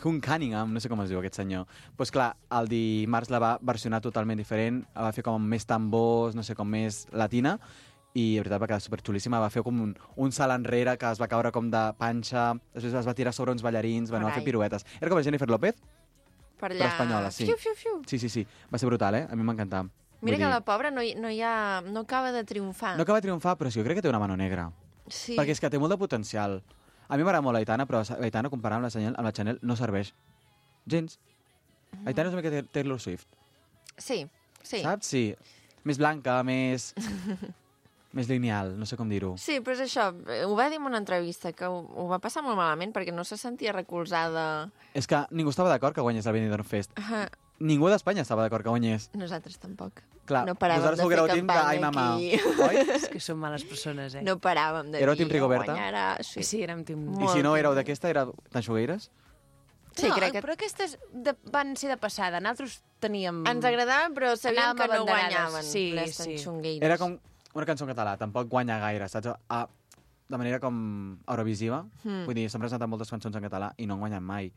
Hugh Cunningham, no sé com es diu aquest senyor. Doncs pues clar, el dimarts la va versionar totalment diferent, la va fer com amb més tambors, no sé, com més latina, i de veritat va quedar superxulíssima. Va fer com un, un salt enrere que es va caure com de panxa, després es va tirar sobre uns ballarins, bueno, va fer Carai. piruetes. Era com la Jennifer López, Per allà... però espanyola, sí. Fiu, fiu, fiu. Sí, sí, sí. Va ser brutal, eh? A mi m'encantà. Mira Vull que dir, la pobra no, hi, no, hi ha, no acaba de triomfar. No acaba de triomfar, però sí, jo crec que té una mano negra. Sí. Perquè és que té molt de potencial. A mi m'agrada molt l'Aitana, però l'Aitana, comparada amb la Chanel, amb la Chanel no serveix. Gens. Mm. Aitana és una mica Taylor Swift. Sí, sí. Saps? Sí. Més blanca, més... més lineal, no sé com dir-ho. Sí, però és això, ho va dir en una entrevista, que ho, ho va passar molt malament perquè no se sentia recolzada. És que ningú estava d'acord que guanyés el Benidorm Fest. Uh, Ningú d'Espanya estava d'acord que guanyés. nosaltres tampoc. Clar, no paràvem vosaltres de sou fer grau team de campanya Ai Mama, aquí. oi? És que són males persones, eh? No paràvem de Éreu dir... team Rigoberta? guanyarà... Sí, Sí, érem team... I si no éreu d'aquesta, era d'Anxogueires? Sí, no, crec que- però aquestes de, van ser de passada. Nosaltres teníem... Ens agradaven, però sabíem Anàvem que no abanderades. guanyaven Sí, les sí. tanxongueires. Era com una cançó en català, tampoc guanya gaire, saps? Ah, de manera com eurovisiva. Hmm. Vull dir, s'han presentat moltes cançons en català i no en guanyen mai.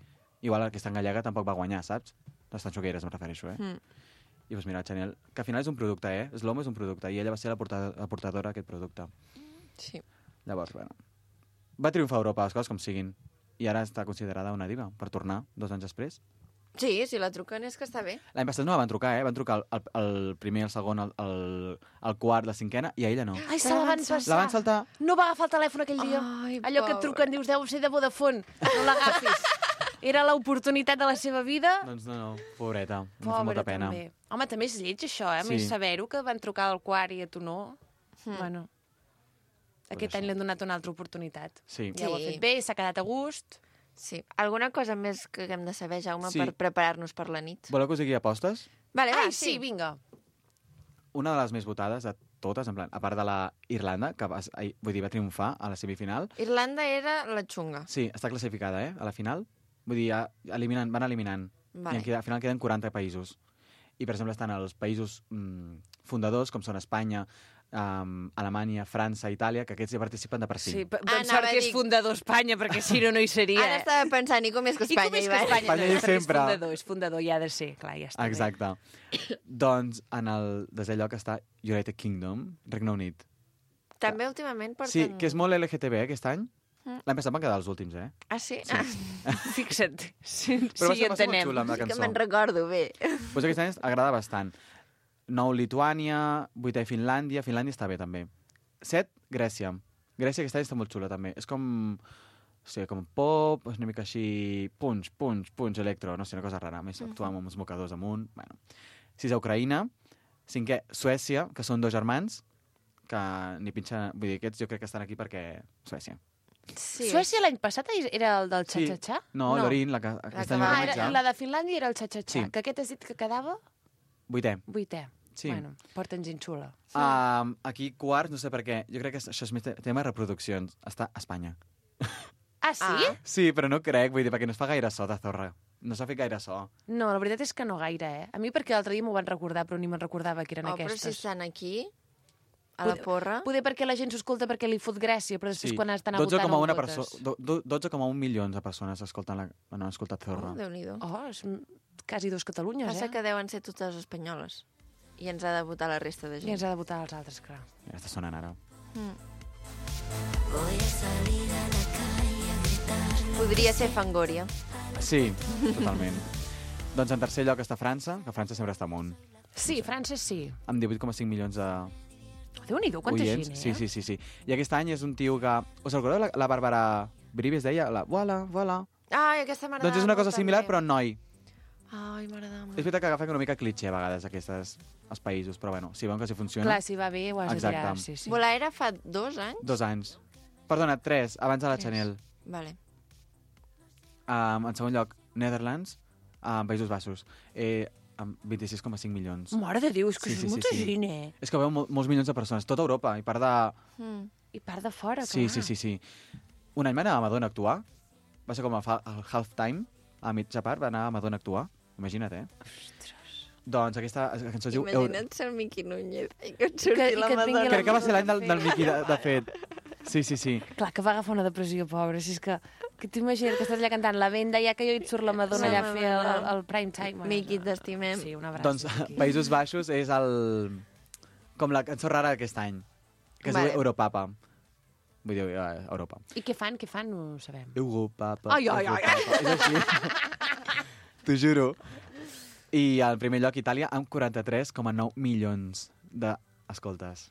Igual aquesta en gallega tampoc va guanyar, saps? Les tanxogueires em refereixo, eh? Hmm. I doncs mira, Chanel, que al final és un producte, eh? L'home és un producte, i ella va ser la, porta la portadora d'aquest producte. Sí. Llavors, bueno, va triomfar a Europa, les coses com siguin. I ara està considerada una diva, per tornar dos anys després. Sí, si la truquen és que està bé. L'any passat no la van trucar, eh? Van trucar el, el, el primer, el segon, el, el, el quart, la cinquena, i a ella no. Ai, se la van passar. La van saltar. No va agafar el telèfon aquell dia. Ai, Allò que et pobra. truquen, dius, deu ser de Vodafone. No l'agafis. Era l'oportunitat de la seva vida. Doncs no, no, pobreta, em fa Pobra, molta pena. també. Home, també és lleig, això, eh? Sí. Més saber-ho, que van trucar al quart i a tu no. Hmm. Bueno, aquest això. any li han donat una altra oportunitat. Sí. Ja ho ha Sí. fet bé, s'ha quedat a gust. Sí. Alguna cosa més que haguem de saber, Jaume, Sí. per preparar-nos per la nit? Voleu que us digui apostes? Vale, va, Ai, sí, vinga. Una de les més votades de totes, en plan, a part de la Irlanda, que va, ai, vull dir, va triomfar a la semifinal. Irlanda era la xunga. Sí, està classificada, eh, a la final. Vull dir, ja eliminen, van eliminant. Vale. I en queda, al final queden quaranta països. I, per exemple, estan els països mm, fundadors, com són Espanya, um, Alemanya, França, Itàlia, que aquests ja participen de per si. Sí, p- Ah, doncs anava sort a que és dir- fundador Espanya, perquè si no, no hi seria. Ara estava pensant, i com és que I com Espanya és hi que va? Espanya, Espanya no, hi perquè sempre. És fundador, és fundador, i ha de ser, clar, ja està bé. Exacte. Doncs en el desè lloc està United Kingdom, Regne Unit. També últimament porten... Sí, que és molt L G T B eh, aquest any. Mm. L'any passat van quedar els últims, eh? Ah, sí? Sí. Ah, Fixa't, sí, Però va sí, ser, va ser molt entenem. xula amb la sí que cançó. me'n recordo bé. Pues aquest any agrada bastant. Nou, Lituània, vuitè, Finlàndia. Finlàndia està bé, també. Set, Grècia. Grècia aquest any està molt xula, també. És com... O sigui, com pop, és una mica així... Punx, punx, punx, electro. No sé, una cosa rara. Més actuar amb uns mocadors amunt. Bueno. Sisè, Ucraïna. Cinquè, Suècia, que són dos germans, que ni pinxa... Vull dir, aquests jo crec que estan aquí perquè... Suècia. Sí. Suècia l'any passat era el del Sí. xa-xa-xa? No, No. l'Orin, la que aquest que any va- va Ah, organitzar. era, la de Finlàndia era el xa-xa-xa. Sí. Que aquest has dit que quedava Vuitè. vuitè. Sí. Bueno, porten gent xula. Um, aquí, quarts, no sé per què. Jo crec que això és més te- tema de reproduccions. Està a Espanya. Ah, sí? Ah. Sí, però no crec, vull dir, perquè no es fa gaire so de zorra. No s'ha fet gaire so. No, la veritat és que no gaire, eh? A mi perquè l'altre dia m'ho van recordar, però ni me'n recordava que eren Oh, però si aquestes. estan aquí, a la Poder- porra... Poder perquè la gent s'ho escolta perquè li fot gràcia, però després quan estan a dotze votar coma no una ho votes. perso- do- do- dotze coma un milions de persones escolten la... no han escoltat Zorra. Oh, Déu-n'hi-do. Oh, és m- quasi dos Catalunyes, Passa eh? que deuen ser totes espanyoles. I ens ha de votar la resta de I gent. ens ha de votar els altres, clar. Ja està sonant ara. Podria ser Fangoria. Sí, totalment. Doncs en tercer lloc està França, que França sempre està amunt. Sí, França sí. Amb divuit coma cinc milions de Déu-n'hi-do, quanta oients. gent, eh? Sí, sí, sí, sí. I aquest any és un tio que... Us recordeu la, la Bàrbara Brivi es deia? La... Voilà, voilà. Ai, aquesta m'agradava Doncs és una cosa molt, similar, també. però en noi. Ai, m'agradava És molt. veritat que agafen una mica clitxé a vegades aquestes els països, però bueno, si veuen que si funciona... Clar, si va bé, ho has de Exacte. tirar. Sí, sí. Volaera fa dos anys? Dos anys. Perdona, tres, abans de la Tres. Chanel. Vale. Um, en segon lloc, Netherlands, um, Països Baixos, eh, amb vint-i-sis coma cinc milions. Mare de Déu, és que Sí, sí, sí, és sí, molta sí. gent, eh? És que veu mol molts milions de persones, tota Europa, i part de... Mm. I part de fora, Sí, clar. sí, sí, sí. Un any va anar a Madonna a actuar, va ser com el, fa- el halftime, a mitja part va anar a Madonna a actuar, imagina't, eh? Doncs aquesta cançó es diu... Euro- Imagina't ser el Miqui Núñez i que et Que- surti i la que et vingui Madonna. la Crec que va ser l'any del, del Miqui, de, de fet. Sí, sí, sí. Clar, que va agafar una depressió, pobre. Si és que, que t'imagines que estàs allà cantant la venda, ja que jo et surt la Madonna allà a fer el, el, el prime time. Bueno, Miqui, t'estimem. Sí, un abraç. Doncs Miqui. Països Baixos és el... com la cançó rara d'aquest any, que es Vale. diu Europapa. Vull dir, uh, Europa. I què fan? Què fan? No ho sabem. Europapa. Ai, ai, ai, ai. Europapa. És així. T'ho juro. I al primer lloc, Itàlia, amb quaranta-tres coma nou milions d'escoltes.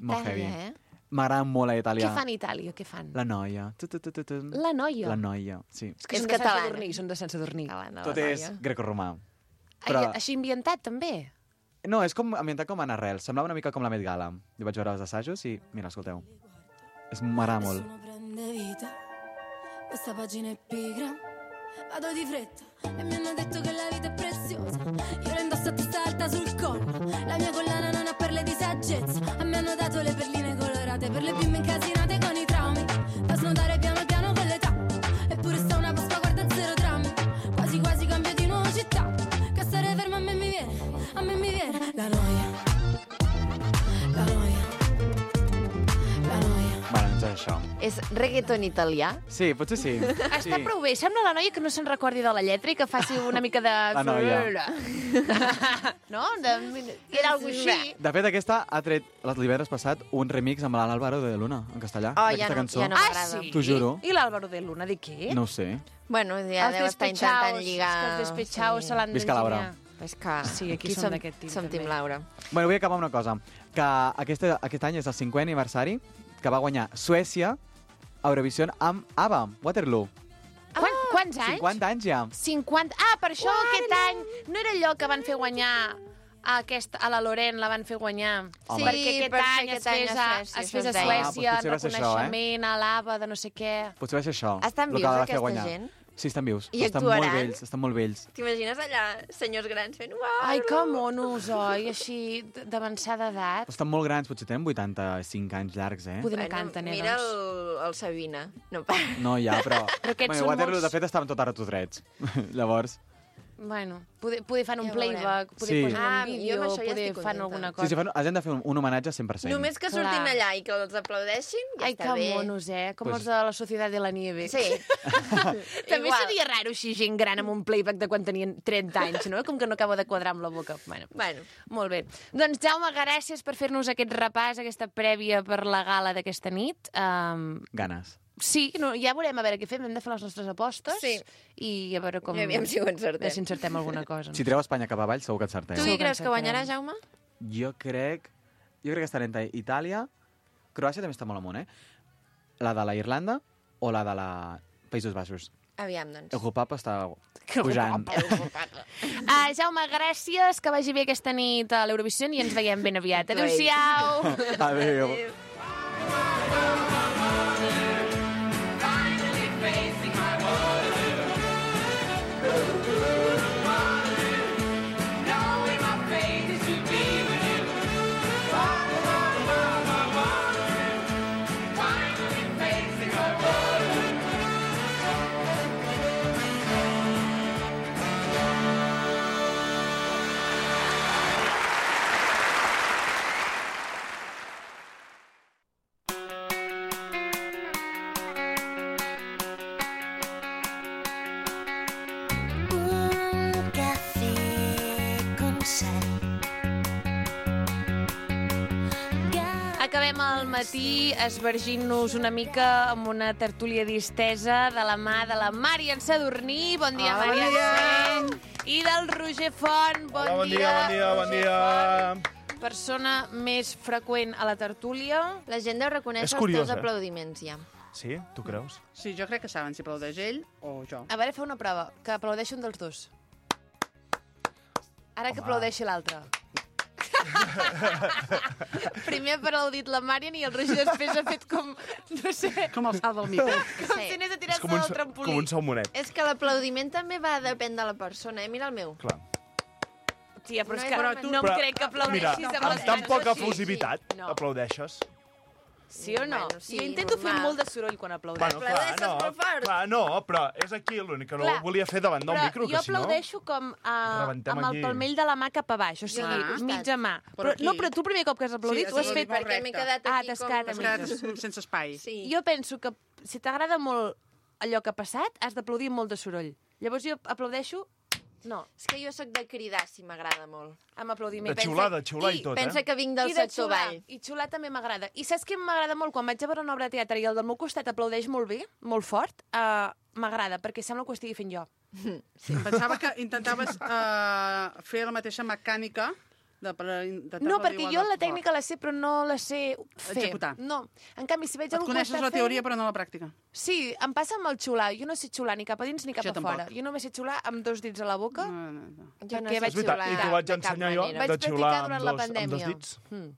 Molt heavy. Itàlia, eh? M'agrada molt a Itàlia. Què fan a Itàlia? Què fan? La noia. Tu, tu, tu, tu, tu. La noia. La noia, sí. És que És són de Sant catalana. Sadurní, són de Sant Sadurní. Catalana, Tot la és noia. grecorromà. Ai, Però... així ambientat, també? No, és com ambientat com en arrel. Semblava una mica com la Met Gala. Jo vaig veure els assajos i, mira, escolteu. És m'agrada molt. Nessuno prende vita, questa pagina è pigra, vado di fretta e mi hanno detto che la vita è preziosa. Io la indosso a testa alta sul collo, la mia collana non ha perle di saggezza. A me hanno dato le perline colorate per le bimbe incasinate con i traumi, da snodare piano piano con l'età. Eppure sta una Pasqua, guarda zero drammi, quasi quasi cambio di nuovo città. Che stare ferma a me mi viene, a me mi viene la noia, la noia, la noia. Bueno, doncs és això. És reggaeton italià? Sí, potser sí. Està sí. prou bé. Sembla la noia que no se'n recordi de la lletra i que faci una mica de... La noia. No? De... Era algo així. De fet, aquesta ha tret el divendres passat un remix amb l'Àlvaro de Luna, en castellà, Oh, d'aquesta ja no- cançó. ja no Ah, m'agrada. sí? T'ho juro. I l'Àlvaro de Luna, de què? No ho sé. Bueno, ja Els deu estar intentant despechaos, lligar... és que els despechaos se l'han Visca Laura. d'enginyar. És que Sí, aquí som d'aquest team, Som també. Team Laura. Bueno, vull acabar amb una cosa. Que aquest, aquest any és el cinquè aniversari que va guanyar Suècia a Eurovisió amb ABBA, Waterloo. Quan, quants anys? cinquanta anys ja. cinquanta. Ah, per això aquest any no era allò que van fer guanyar a, aquest, a la Loren, la van fer guanyar. Home. Perquè Sí, aquest per això any es aquest any fes a a, Suècia, es això fes a es deia. Ah, doncs Suècia, potser en va ser això, eh? reconeixement a l'Ava de no sé què. Potser va ser això. Estan el que vius, va fer aquesta guanyar. gent? Sí, estan vius. I estan actuaran? molt vells, estan molt vells. T'imagines allà senyors grans fent... Uau, Ai, que monos, oi? Així, d- d'avançada edat. Estan molt grans, potser tenen vuitanta-cinc anys llargs, eh? Poder no canten, eh, Mira doncs. el, el Sabina. No, pa- No, ja, però... Però aquests bueno, són Waterloo, molts- de fet, estaven tot ara tots drets. Llavors... Bueno, poder, poder fan un Ja playback, poder Sí. posen Ah, un jo vídeo, amb això ja poder estic fan contenta. alguna Sí, cosa. sí, fan, els hem de fer un, un homenatge cent per cent. Només que Clar. surtin allà i que els aplaudeixin, ja Ai, està que bé. monos, eh? Com Pues- els de la Societat de la Nieve. Sí. També Igual. seria raro així gent gran amb un playback de quan tenien trenta anys, no? Com que no acabo de quadrar amb la boca. Bueno, Bueno, molt bé. Doncs, Jaume, gràcies per fer-nos aquest repàs, aquesta prèvia per la gala d'aquesta nit. Um, Ganes. sí, no, ja veurem a veure què fem. Hem de fer les nostres apostes Sí. i a veure com... I aviam si ho encertem. Si encertem alguna cosa. Si treu Espanya cap avall, segur que encerteu. tu Sí. qui creus que encertarem. guanyarà, Jaume? Jo crec... Jo crec que estarà entre Itàlia... Croàcia també està molt amunt, eh? La de la Irlanda o la de la Països Baixos. Aviam, doncs. El Hopapa està pujant. Uh, Jaume, gràcies, que vagi bé aquesta nit a l'Eurovisió i ens veiem ben aviat. Adéu-siau! Adéu. Un cafè con sal. Acabem el matí esvergint-nos una mica amb una tertúlia distesa de la mà de la Màrian Sadurní. Bon dia, Hola, bon Màrian. I del Roger Font. Bon, Hola, bon dia, bon dia, bon Roger dia. Font. Persona més freqüent a la tertúlia. La gent deu reconèixer És els curiós, teus eh? aplaudiments, ja. Sí? Tu creus? Sí, jo crec que saben si aplaudeix ell o jo. A veure, fa una prova, que aplaudeixi un dels dos. Ara que aplaudeixi l'altre. Primer ha aplaudit la Màrian i el Roger després ha fet com, no sé... Com el salt del mite. Com si anés a tirar-se del trampolí. com un salmonet. És que l'aplaudiment també va depèn de la persona, eh? Mira el meu. Clar. Tia, però és No que és no, tu- no em Però, crec que aplaudeixis Mira, amb amb les tan mans poca així. efusivitat No. aplaudeixes. Sí o no? Bueno, sí, jo intento normal. fer molt de soroll quan aplaudeixo. Bueno, clar, no, molt fort. clar, no, però és aquí l'únic que no Clar, ho volia fer davant del Però micro, jo que si no... aplaudeixo com uh, Rebentem amb el aquí. palmell de la mà cap a baix, o sigui, Ah. mitja mà. Per Però, aquí. no, però tu el primer cop que has aplaudit Sí, ho has sí, fet... molt Perquè m'he recte. quedat Ah, aquí t'has com... quedat a Has quedat mitges. sense espai. Sí. Jo penso que si t'agrada molt allò que ha passat, has d'aplaudir amb molt de soroll. Llavors jo aplaudeixo... No, És que jo sóc de cridar, si m'agrada molt. amb aplaudiment. De xiular, de xiular i tot, eh? Pensa que vinc del I de sector xiular. ball. I xiular també m'agrada. I saps què m'agrada molt? Quan vaig a veure una obra de teatre i el del meu costat aplaudeix molt bé, molt fort, uh, m'agrada, perquè sembla que ho estigui fent jo. Sí. Pensava que intentaves uh, fer la mateixa mecànica de, per intentar No, aplaudir perquè igual jo de la fort. tècnica la sé, però no la sé fer. Executar. No. En canvi, si veig Et algú que ho coneixes està la teoria, fent... però no la pràctica. Sí, em passa amb el xiular. Jo no sé xiular ni cap a dins ni cap Jo a tampoc. fora. Jo només sé xiular amb dos dits a la boca. No, no, no. Jo no Perquè sé vaig És veritat, xiular i t'ho vaig de cap ensenyar jo, manera. Vaig de practicar xiular durant amb la dos, amb dos pandèmia. dits. Mm.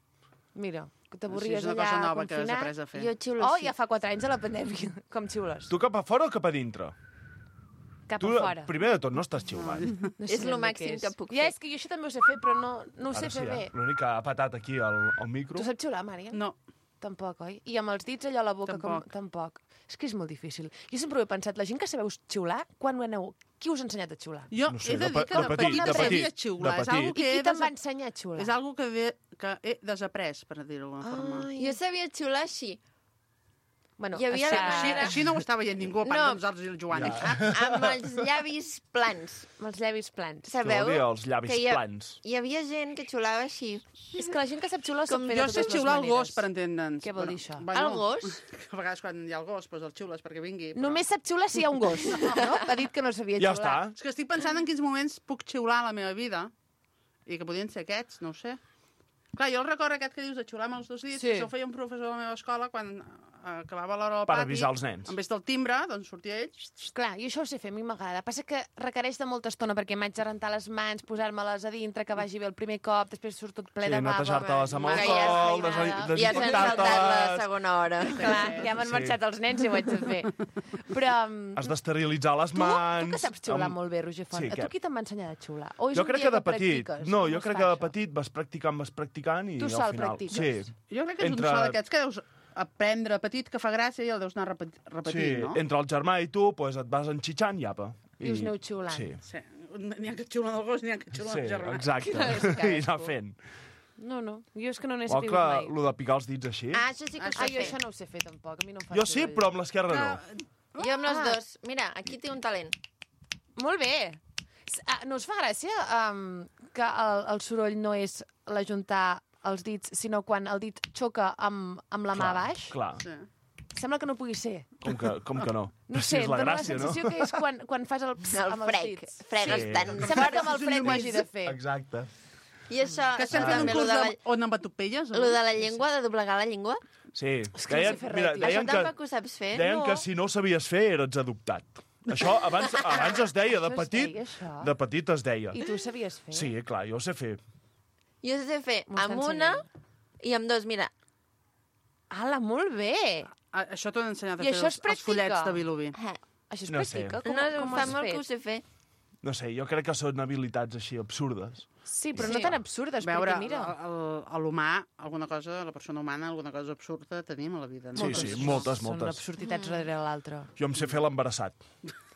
Mira, que Sí, t'avorries és una allà cosa nova que has confinat. après a fer. Jo xiulo Oh, sí. ja fa quatre anys a la pandèmia. Com xiules? Tu cap a fora o cap a dintre? Cap Tu, a fora. primer de tot, no estàs xiulant. No És sé lo ben bé màxim què és. que puc Ja, fer. és que jo això també ho sé fer, però no, no ho sé Ara sí, fer bé. eh? L'únic que ha patat aquí al, al micro... Tu saps xiular, Mària? No. Tampoc, oi? I amb els dits allò a la boca, Tampoc. com... Tampoc. És que és molt difícil. Jo sempre ho he pensat, la gent que sabeu xiular, quan ho aneu... Qui us ha ensenyat a xiular? Jo No sé, he de de dir pe- que de de petit, petit de sabia petit, xiular. de És algo petit. que I qui he te'n va desa- ensenyar a xiular? És algo que, de, que he desaprès, per dir-ho d'alguna forma. Ai. Jo sabia xiular així. Bueno, Hi havia això- la Així, manera- així no ho està veient ningú, a part No. de nosaltres i el Joan. Ja. A- amb els llavis plans. amb els llavis plans. Sabeu? Vol dir els llavis que hi ha, plans. Hi havia gent que xiulava així. És que la gent que sap xiular ho sap Com fer Jo de sé totes les xiular el maneres. gos, per entendre'ns. Què vol dir això? El gos? A vegades quan hi ha el gos, doncs el xiules perquè vingui. Però... Només sap xiular si hi ha un gos, no? Ha dit que no sabia Ja xiular. està. És que estic pensant en quins moments puc xiular a la meva vida i que podien ser aquests, no ho sé. Clar, jo el record aquest que dius de xiular amb els dos dits, Sí. sí. Això ho feia un professor a la meva escola quan eh, acabava l'hora al Per pati. avisar els nens. En vez del timbre, doncs sortia ell... Clar, jo això ho sé fer, a mi m'agrada. Passa que requereix de molta estona perquè m'haig de rentar les mans, posar-me-les a dintre, que vagi bé el primer cop, després surt tot ple Sí, de bava. netejar-te-les amb Que alcohol, ja has des- feina. Ja s'han saltat la desinfectar-te-les... segona hora. Clar, ja m'han Sí. marxat els nens i ho haig de fer. Però... um, Has d'esterilitzar les Tu, mans... tu que saps xiular amb- molt bé, Roger Font, Sí, a tu què? qui te'n va ensenyar a xiular? O és Jo un crec dia que de petit... practiques? No, Com jo es crec fa que de això? petit vas practicant, vas practicant i Tu al sol final... practiques. Sí. Jo crec que és Entre- un so d'aquests que deus aprendre petit, que fa gràcia i el deus anar repet Sí, repetint, no? entre el germà i tu pues, et vas enxitxant i apa. I us aneu xiulant. Sí, Sí. N'hi ha que xiulen el gos, n'hi ha que xiulen sí el germà. exacte. cadascú. I anar fent. No, no, jo és que no n'he O sabut que, mai. lo de picar els dits així... Ah, això sí que ho Ah, sé jo fer. això no ho sé fer tampoc, a mi no em fa jo sí, soroll. però amb l'esquerra no. Jo amb les Ah. dos. Mira, aquí té un talent. Molt bé. S- ah, No us fa gràcia um, que el, el soroll no és l'ajuntar els dits, sinó quan el dit xoca amb, amb la mà a baix? Clar, Sí. Sembla que no pugui ser. com que, com que no? No Si sé, és la dóna gràcia, la sensació no? que és quan, quan fas el ps El amb els frec. dits. Fregues Sí. tan Sembla que amb el frec ho hagi de fer. Exacte. I això, Que estem això fent un també, lo curs de, de... la, on empatopelles? lo de la llengua, de doblegar la llengua. Sí, És que no sé fer res, tio. deien Això que, tampoc ho saps fer? deien No. que si no ho sabies fer eres adoptat. Això abans, abans es deia, de Això es petit, deia, això? de petit es deia. I tu ho sabies fer? Sí, clar, jo ho sé fer. Jo ho sé fer M'ho està amb una ensenyant. i amb dos. Mira, Ala, molt bé! Ah, això t'ho han ensenyat a I fer això es els, els practica? fullets de Vilobí. eh, Això es No sé. practica? Com, no, com ho fa has molt que ho fet? sé fer. No sé, jo crec que són habilitats així absurdes. Sí, però Sí. no tan absurdes, Veure, perquè mira... el- el- a l'humà, alguna cosa, la persona humana, alguna cosa absurda tenim a la vida. No? Sí, sí, moltes, Són moltes. absurditats darrere l'altra. Jo em sé fer l'embarassat.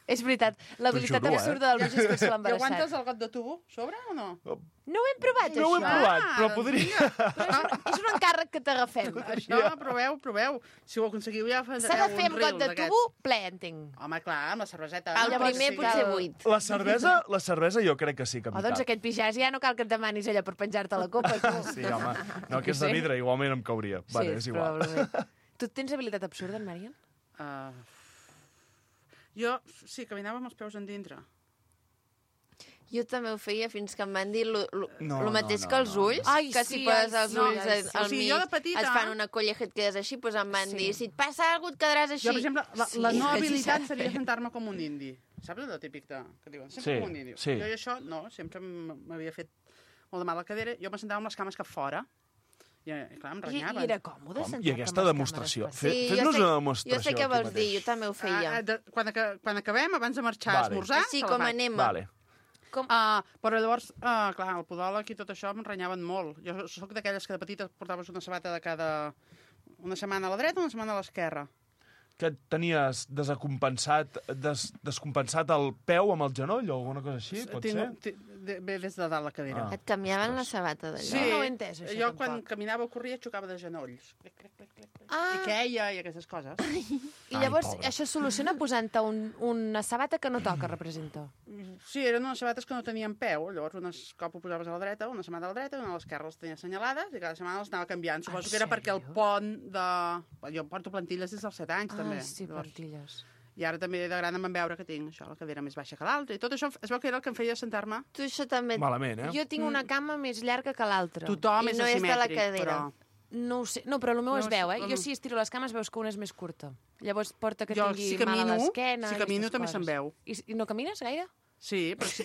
És veritat, l'habilitat juro, eh? absurda del Roger és fer I aguantes l'embarassat. el got de tubo sobre o no? No ho hem provat, No ho això. hem provat, però doncs podria... Però és, un, és un encàrrec que t'agafem. Això, proveu, proveu. Si ho aconseguiu ja fareu S'ha de fer amb un got reel de d'aquests. tubo ple, entenc. Home, clar, amb la cerveseta. El no? primer Sí. potser buit. La cervesa, la cervesa jo crec que sí que O m'hi doncs cap. aquest pijàs ja no cal que et demanis allò per penjar-te la copa. Tu. Sí, home. No, que és de Sí. vidre, igualment em cauria. Vale, és sí, igual. probablement. Tu tens habilitat absurda, en Marian? Uh, jo, sí, caminava amb els peus endintre. Jo també ho feia fins que em van dir lo, lo, No, lo mateix no, no, que els no. ulls, Ai, que sí, si poses ai, els sí, ulls ai, al, sí. al O sigui, mig jo de petita- et fan una colleja i et quedes així, doncs em van Sí. dir, si et passa alguna cosa et quedaràs així. Jo, per exemple, la, Sí, la no sí, habilitat sí. seria sentar-me com un indi. Saps allò típic de, que diuen? Sempre Sí, com un indi. sí. Jo i això, no, sempre m- m'havia fet molt de mal a la cadera. Jo me sentava amb les cames cap fora. I, i clar, em I, renyaven. I era còmode Com? sentar-te I aquesta amb les demostració? càmeres Fe- Sí, jo Fes-nos sé- una demostració Jo sé què aquí vols dir, mateix. jo també ho feia. Ah, de, quan, aca- quan acabem, abans de marxar Vale. a esmorzar... Així te la com faig. anem. Vale. Com... Uh, però llavors, uh, clar, el podòleg i tot això em renyaven molt. Jo sóc d'aquelles que de petita portaves una sabata de cada... una setmana a la dreta, una setmana a l'esquerra. Que tenies desacompensat, des, descompensat el peu amb el genoll o alguna cosa així, pot Tinc, ser? ti- de- Ve des de dalt la cadira. Ah. Et canviaven la sabata d'allò. Sí, No ho he entès, això, jo tampoc. quan caminava o corria xocava de genolls. Clic, clic, clic, clic, clic. Ah. I queia i aquestes coses. I llavors això es soluciona posant-te un, una sabata que no toca, representa. Sí, eren unes sabates que no tenien peu, llavors unes cop ho posaves a la dreta, una setmana a la dreta i una a l'esquerra les tenia assenyalades i cada setmana les anava canviant. Suposo que era perquè el pont de... Jo porto plantilles des dels set anys, Ah, també. sí, plantilles. I ara també de gran em van veure que tinc això, la cadira més baixa que l'altra, i tot això es veu que era el que em feia sentar-me. Tu això també... Malament, eh? Jo tinc una cama més llarga que l'altra. Tothom I és no és de la asimètric, cadira. però... No ho sé. No, però el meu No, es veu, eh? no, Jo no. si estiro les cames veus que una és més curta. Llavors porta que Jo, tingui si mal a camino- l'esquena... si i camino aquestes també se'n coses. veu. I, I no camines gaire? Sí, però sí.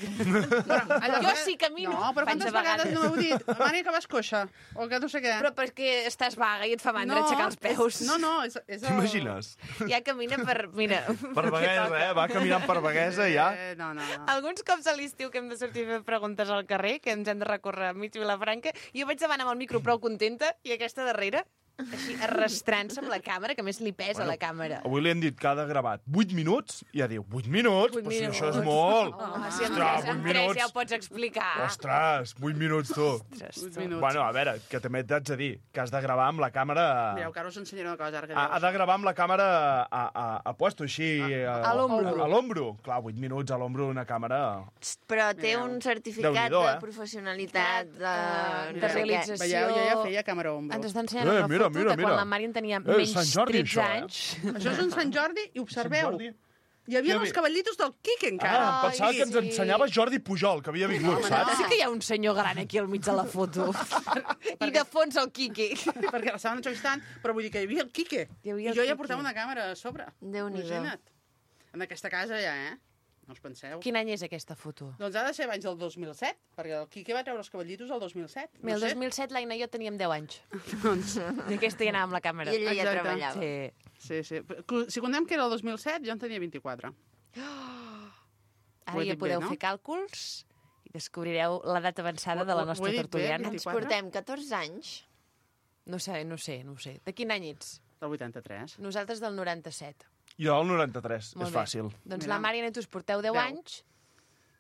Jo sí camino. No, però Faig quantes de vegades. vegades no heu dit? Mània, que vas coixa. O que no sé què. Però perquè estàs vaga i et fa mandra aixecar els peus. No, no, és... és el... T'imagines? Ja camina per... Mira... Per Baguesa, eh? Va caminant per Baguesa i ja... Eh, no, no, no. Alguns cops a l'estiu que hem de sortir a fer preguntes al carrer, que ens hem de recórrer mig Vilafranca, jo vaig davant amb el micro prou contenta i aquesta darrere, així arrastrant-se amb la càmera, que a més li pesa Bueno, la càmera. Avui li han dit que ha de gravat vuit minuts i ja diu, vuit minuts? Vuit Però si minuts. això és molt. Home, si amb, Ostres, tres, amb vuit tres minuts. ja ho pots explicar. Ostres, vuit minuts, tu. Ostres, tu. Bueno, a veure, que també t'haig de dir que has de gravar amb la càmera... Mireu, que ara us ensenyaré una cosa. Ara que Ha, dieu ha de gravar amb la càmera a, a, a puesto, així... A, a l'ombro. A, a l'ombro. Clar, vuit minuts a l'ombro una càmera... Però té Mireu. un certificat Déu-n'hi-do, de eh? professionalitat, de... de no sé què. realització. Veieu, jo ja feia càmera ombro. Ens està ensenyant Eh, una mira, foto mira, de mira. quan la Mari en tenia Eh, menys Sant Jordi, tretze això, eh? anys. Això és un Sant Jordi i observeu. Sant Jordi. Hi havia Hi els havia- cavallitos del Quique, encara. Ah, em pensava que ens sí. ensenyava Jordi Pujol, que havia vingut, saps? Sí que hi ha un senyor gran aquí al mig de la foto. I de fons el Quique. Perquè l'estaven entrevistant, però vull dir que hi havia el Quique. Hi havia I el jo ja Quique. portava una càmera a sobre. Déu-n'hi-do. Imagina't. En aquesta casa ja, eh? No us penseu. Quin any és aquesta foto? Doncs ha de ser abans del dos mil set, perquè el Quique va treure els cavallitos el dos mil set. Bé, el no sé. dos mil set l'Aina i jo teníem deu anys. Doncs... I aquesta ja anava amb la càmera. I ella ja Exacte. treballava. Sí. Sí, sí. Si contem que era el dos mil set, jo en tenia vint-i-quatre. Ara Ho he ja dit podeu bé, no? fer càlculs i descobrireu l'edat avançada de la Ho- ho nostra he dit bé, tertuliana. Ens vint-i-quatre. portem catorze anys. No sé, no sé, no ho sé. De quin any ets? Del vuitanta-tres. Nosaltres del noranta-set. Jo el noranta-tres, Molt és bé. fàcil. Doncs Mira. la Mari i tu us porteu deu Deu. anys.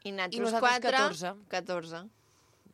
I I nosaltres nosaltres quatre... catorze. catorze.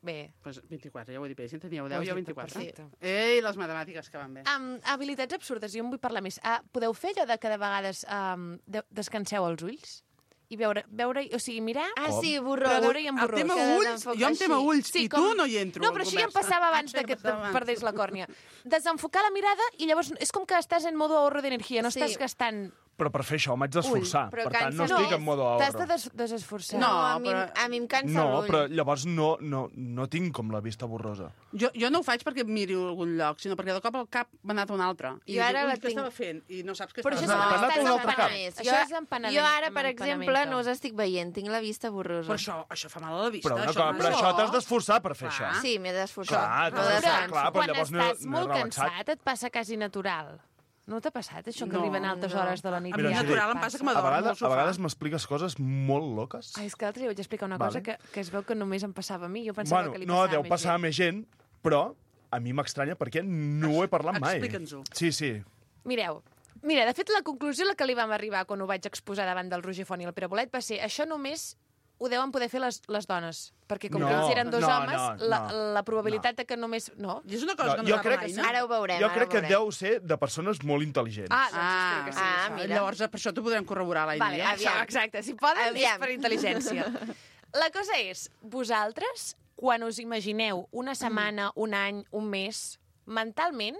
Bé. Pues vint-i-quatre, ja ho he dit bé. Si en teníeu Ho deu, has jo dit vint-i-quatre. perfecte. Ei, les matemàtiques que van bé. Um, habilitats absurdes, jo en vull parlar més. Uh, podeu fer allò de que de vegades um, de descanseu els ulls? I veure, veure o sigui, mirar... Ah, Com? sí, Però borrós. veure-hi amb El borrós. tema Que ulls, desenfoca jo em tema així. ulls, i tu no hi entro. No, en però això ja em conversa. passava abans Ah, de que això ja passava abans. perdés la còrnia. Desenfocar la mirada i llavors és com que estàs en modo ahorro d'energia, no Sí. estàs gastant... Però per fer això m'haig d'esforçar. però Per tant, no cansa estic més. en modo T'has de ahorro. des desesforçar. No, No, a, mi, però- a mi em cansa No, l'ull. però llavors no, no, no tinc com la vista borrosa. Jo, jo no ho faig perquè em miri a algun lloc, sinó perquè de cop el cap m'ha anat a un altre. I Jo ara dic, la "Ui, què tinc- estava fent? I no saps què Però això estava és T'ha amb anat a un altre cap. Més. Això és empanament- Jo ara, per empanamento. exemple, no us estic veient, tinc la vista borrosa. Però això, això fa mal a la vista. Però, una això, cosa, no però és això bo. t'has d'esforçar per fer Clar. això. Sí, m'he d'esforçar. Clar, no t'has d'esforçar, descanso. clar, però Quan llavors no- estàs no he molt relaxat. cansat et passa quasi natural. No t'ha passat això que No, arriben a altes no. hores de la nit? A Mira, mi i ja natural et em passa que A m'adormo al vegades, a sofà. vegades m'expliques coses molt loques. Ai, és que l'altre dia vaig explicar una Vale. cosa que, que es veu que només em passava a mi. Jo pensava Bueno, que li no, passava deu a més passar a gent. més gent, però a mi m'estranya perquè no ho he parlat mai. Explica'ns-ho. Sí, sí. Mireu, mira, de fet, la conclusió a la que li vam arribar quan ho vaig exposar davant del Roger Font i el Pere Bolet va ser això només ho deuen poder fer les, les dones, perquè com No, que ells eren dos no, homes, no, la, no, la probabilitat de que només... No? I és una cosa No, que no jo sap crec mai, que no? Ara ho veurem, Jo ara crec ho que veurem. deu ser de persones molt intel·ligents. Ah, doncs Ah, espero que sí. ah, això. mira. Llavors, per això t'ho podrem corroborar, l'Aina. Vale, eh? aviam, exacte. Si poden, Aviam. és per intel·ligència. La cosa és, vosaltres, quan us imagineu una setmana, un any, un mes, mentalment,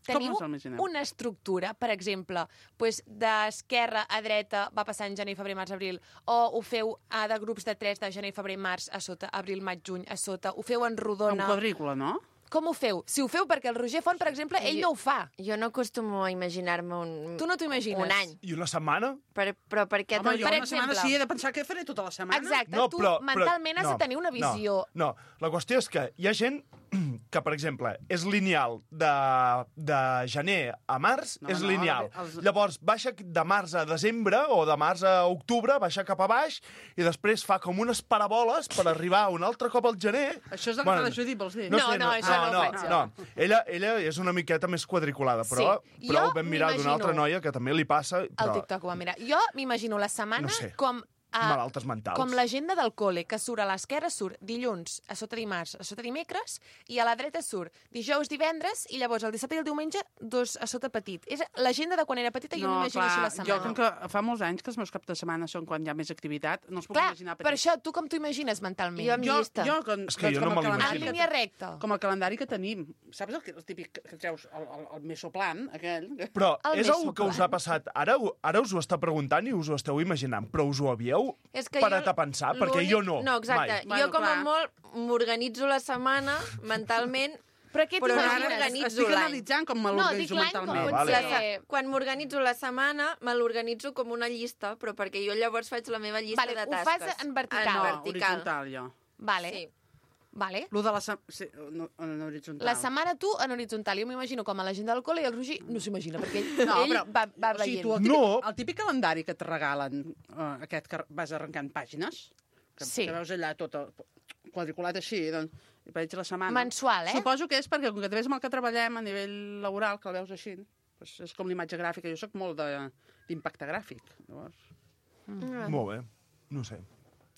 Com teniu us ho imagineu? una estructura, per exemple, pues, d'esquerra a dreta va passant gener, febrer, març, abril, o ho feu a de grups de tres de gener, febrer, març a sota, abril, maig, juny a sota, ho feu en Un rodona... quadrícula, no? Com ho feu? Si ho feu perquè el Roger Font, per exemple, ell Jo- no ho fa. Jo no acostumo a imaginar-me un... Tu no t'ho imagines. Un any. I una setmana? Per, però per què... Home, te'l- jo per una setmana exemple. sí he de pensar què faré tota la setmana. Exacte, No, tu però, mentalment però, has no, de tenir una visió... No, no, la qüestió és que hi ha gent que, per exemple, és lineal de, de gener a març, No, és no, lineal. els- Llavors, baixa de març a desembre o de març a octubre, baixa cap a baix i després fa com unes paraboles per arribar un altre cop al gener. Això és el que fa la Judit, vols dir? No, No, sé, no, això no ho no, faig jo. no. Ella, ella és una miqueta més quadriculada, però, Sí. però Jo ho vam mirar d'una m'imagino- altra noia que també li passa. El Però, TikTok ho va mirar. Jo m'imagino la setmana No sé. com... a- malaltes mentals. Com l'agenda del col·le, que surt a l'esquerra, surt dilluns, a sota dimarts, a sota dimecres, i a la dreta surt dijous, divendres, i llavors el dissabte i el diumenge, dos a sota petit. És l'agenda de quan era petita, jo m'imagino així la setmana. Jo, com que fa molts anys que els meus caps de setmana són quan hi ha més activitat, no els puc Clar, imaginar per això, tu com t'ho imagines mentalment? Jo amb jo, llista. Jo, com, És que jo com no el me l'imagino. calendari En que- línia recta. Com el calendari que tenim. Saps el, que, el típic que treus, el, el, el mesoplan, aquell? Però El és una que mesoplan. us ha passat. Ara, ara us ho està preguntant i us ho esteu imaginant, però us ho havíeu És que parat jo- a pensar? Perquè l'únic- jo no, No, exacte. mai. Jo, Bueno, com a clar. molt, m'organitzo la setmana mentalment, Però què però no t'imagines? m'organitzo Estic l'any. analitzant com me No, dic l'organitzo l'any com mentalment. Ah, pot vale. La ser... se- Quan m'organitzo la setmana, me l'organitzo com una llista, però perquè jo llavors faig la meva llista Vale, de ho tasques. fas en vertical. En No, vertical. horitzontal, jo. Vale, Sí. vale. Lo de la... se- Sí, no, en horitzontal. La setmana tu en horitzontal. Jo m'imagino com a l'agenda del col·le i el Roger no s'imagina, perquè ell, No, ell però, va, va o sigui, veient. tu, el, típic, No. el típic calendari que et regalen, uh, aquest que vas arrencant pàgines, que, Sí. que veus allà tot el, quadriculat així, doncs, i veig la setmana. Mensual, eh? Suposo que és perquè, com que també és amb el que treballem a nivell laboral, que el veus així, doncs és com l'imatge gràfica. Jo sóc molt de- d'impacte gràfic, llavors. Mm. Molt bé, no sé.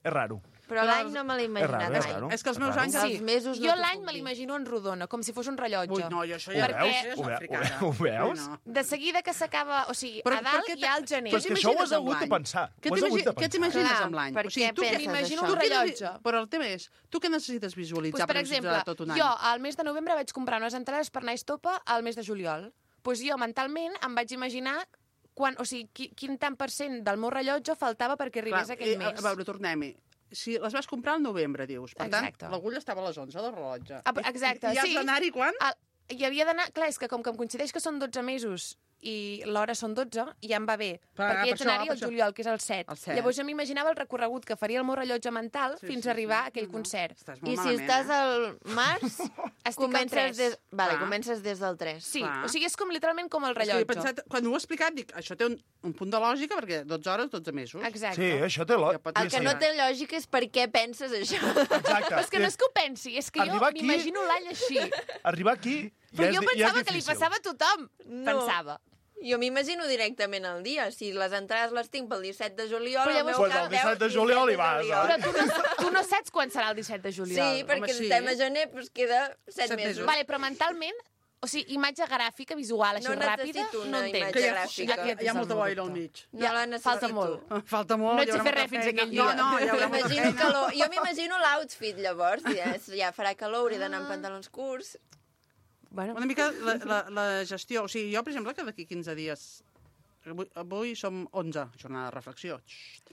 És raro. Però l'any no me l'he És raro, imaginat és mai. raro. És que els meus Raro. anys... Sí. Els mesos no jo t'ho l'any puc me dir. l'imagino en rodona, com si fos un rellotge. Ui, no, jo això Ho ja... Perquè- això ja és Ho ve- africana. ho veus? Ui, no. De seguida que s'acaba... O sigui, Però a dalt per què hi ha el gener. Però és que això ho has t'imagines amb hagut de l'any? pensar. Què Ho has hagut t'imagi- de què pensar. t'imagines Clar, amb l'any? per què tu penses m'imagino això? un tu què rellotge. neces- Però el tema és, tu què necessites Pues, visualitzar per per exemple, visualitzar tot un any? jo al mes de novembre vaig comprar unes entrades per anar a Estopa al mes de juliol. Pues jo mentalment em vaig imaginar quan, o sigui, qui, quin tant per cent del meu rellotge faltava perquè arribés Clar, aquell eh, mes. A veure, tornem-hi. Si les vas comprar al novembre, dius. Per Exacte. tant, l'agulla estava a les onze del rellotge. Ah, exacte, I, i has sí. d'anar-hi quan? El, hi havia d'anar... Clar, és que com que em coincideix que són dotze mesos i l'hora són dotze, ja em va bé. Per- perquè per hi haig això, d'anar-hi per al això. juliol, que és el set. El set. Llavors jo m'imaginava el recorregut que faria el meu rellotge mental Sí, fins sí, a arribar sí. a aquell No, no. concert. Estàs molt I si malament, estàs eh? al març, al comences tres. des... Vale, Clar. comences des del tres. Sí, Clar. o sigui, és com literalment com el És que he rellotge. pensat, quan ho he explicat, dic, això té un, un punt de lògica, perquè dotze hores, dotze mesos. Exacte. Sí, això té lo... Ja pot El que Sí, no sí. té lògica és per què penses això. Exacte. Però és que no és que ho pensi, és que jo Arribar aquí- m'imagino l'any així. Arribar aquí Però ja és, jo di- ja és pensava que li difícil. passava a tothom. No. Pensava. Jo m'imagino directament el dia. Si les entrades les tinc pel disset de juliol, Però el llavors- meu Pues cap el disset deu de juliol hi disset de vas, juliol. Però tu no, tu no saps quan serà el disset de juliol. Sí, perquè Home, sí. estem a gener, doncs queda set Set mesos. mesos. Vale, però mentalment, o sigui, imatge gràfica, visual, així No ràpida, necessito una no entenc. imatge Que hi ha, gràfica. hi ha, hi ha molta boira al mig. No Ja, la necessito. falta molt. Falta molt. No hi ets a haurà fer molta res fins feina. aquell No, dia. no, hi haurà molta M'imagino feina. calor. Jo m'imagino l'outfit, llavors. Ja, és- ja farà calor, hauré d'anar amb pantalons curts. Bueno, Una mica la, la, la gestió. O sigui, jo, per exemple, que d'aquí quinze dies... Avui, avui som onze, jornada de reflexió. Xxt.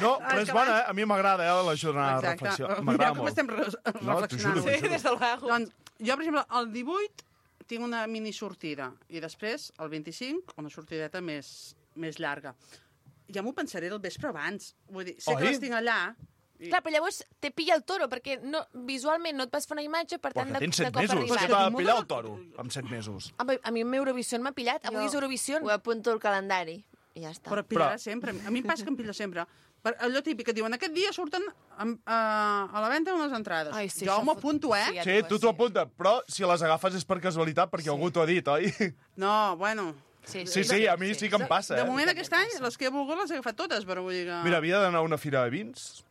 No, però és bona, eh? A mi m'agrada, eh, la jornada de Exacte. reflexió. Mireu M'agrada com molt. estem re No, t'ho reflexionant. juro, t'ho juro. des de luego. Doncs, jo, per exemple, el divuit tinc una mini sortida i després, el vint-i-cinc, una sortideta més, més llarga. Ja m'ho pensaré el vespre abans. Vull dir, sé Oi? que les tinc allà. I... clar, però llavors te pilla el toro, perquè no, visualment no et vas fer una imatge, per Però tant, que de, tens de set cop mesos, arribar. que t'ha de pillar el toro amb set mesos. A mi- a mi amb Eurovision m'ha pillat. Avui Jo és Eurovision. Ho apunto al calendari i ja està. Però pillarà Però- sempre. A mi em passa que em pilla sempre. Per allò típic que diuen, aquest dia surten amb, a, a la venda unes entrades. Ai, sí, jo això m'ho fot- apunto, eh? sí, ja Sí, tu t'ho apuntes, però si les agafes és per casualitat, perquè algú t'ho ha dit, oi? No, bueno... Sí, Sí, sí, a mi sí que em passa, De eh? moment, aquest any, les que he volgut les he agafat totes, però vull dir que... Mira, havia d'anar a una fira de vins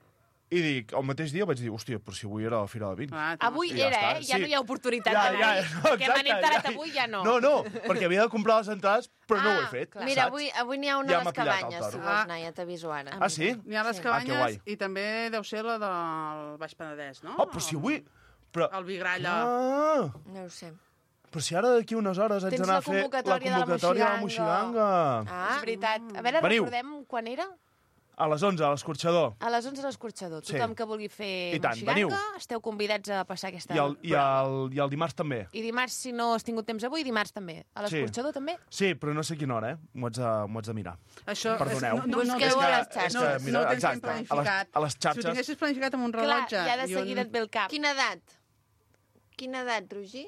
i dic, el mateix dia vaig dir, hòstia, però si avui era la fira de vins. Ah, Avui I ja era, està, eh? Ja sí. no hi ha oportunitat Ja, d'anar-hi. ja, no, que m'han exacte, enterat ja. avui ja no. No, no, perquè havia de comprar les entrades, però no ho he Ah, fet, clar. Mira, saps? avui, avui n'hi ha una Ja a m'ha les pillat el cabanyes, toro. si vols anar, ja t'aviso ara. Ah, sí? N'hi ha les Ah, que cabanyes guai. i també deu ser la del Baix Penedès, no? Oh, però si avui... Però... El Vigralla. Ah, No ho sé. però si ara d'aquí unes hores haig Tens d'anar la a fer la convocatòria de la convocatòria de la Moixiganga. Moixiganga. Ah, és veritat. A veure, Veniu. recordem quan era? A les onze, a l'escorxador. A les onze a l'escorxador. Sí. Tothom que vulgui fer I tant, Moixiganga, veniu. esteu convidats a passar aquesta... I el, i, el, I el dimarts també. I dimarts, si no has tingut temps avui, dimarts també. A Sí. l'escorxador també? Sí, però no sé quina hora, eh? M'ho haig, de- m'ho haig de mirar. Això, Perdoneu. És, no, no, Busqueu no, a és les que- xarxes. No, És que, mira, no ho tens exacte, ben a les- planificat. a les Si ho xarxes. tinguessis planificat amb un Clar, rellotge... ja de i un- seguida et ve el cap. Quina edat? quina edat, Roger?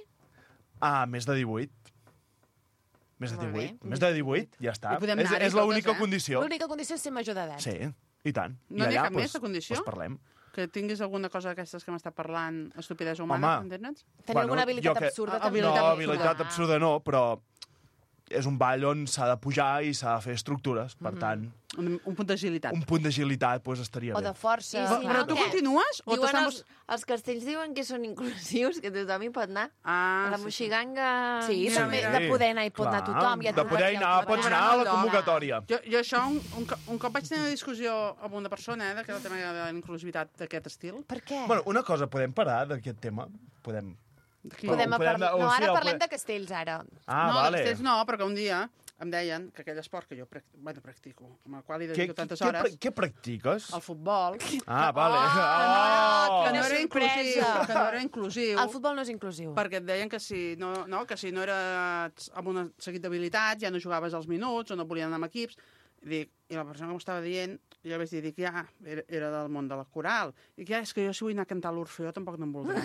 Ah, més de divuit. Més de Molt bé. divuit. Més de divuit, ja està. I podem És, anar-hi és l'única totes, eh? condició. L'única condició és ser major d'edat. Sí, i tant. No I n'hi ha allà, cap més doncs, de condició? doncs parlem. Que tinguis alguna cosa d'aquestes que m'està parlant, estupidesa humana, Home. entens? Tenir alguna habilitat jo que- absurda, Ah, també. No, habilitat habilitat absurda. absurda no, però és un ball on s'ha de pujar i s'ha de fer estructures. Per tant, Un, un punt d'agilitat. un punt d'agilitat doncs, estaria O bé. de força. I Però, si però no, tu què? continues? O Diuen t'estan... els, els castells diuen que són inclusius, que tothom hi pot anar. Ah, A la sí, sí. moixiganga... Sí, Mira, també mira. de poder anar i pot anar Clar, tothom. Ja de poder anar, pots anar a la convocatòria. Jo, jo això, un, un, co- un cop vaig tenir una discussió amb una persona, eh, d'aquest tema de la inclusivitat d'aquest estil. Per què? Bueno, una cosa, podem parar d'aquest tema? Podem... D'aquí. Podem podem parlar... anar- o No, sigui, ara el parlem ple- de castells, ara. Ah, no, vale. després no, però que un dia em deien que aquell esport que jo prac... bueno, practico, amb el qual hi Què, dedico què, tantes què, hores, pra- què practiques? el futbol, Ah, vale. Oh, que quina no era inclusiu, sorpresa. que no era inclusiu, El futbol no és inclusiu. perquè et deien que si no, no, que si no eres amb un seguit d'habilitats, ja no jugaves els minuts o no volien anar amb equips. I, dic, i la persona que m'ho estava dient, jo vaig dir, dic, ja, era, era del món de la coral. Dic, ja, és que jo si vull anar a cantar a l'Orfeó tampoc no em voldran.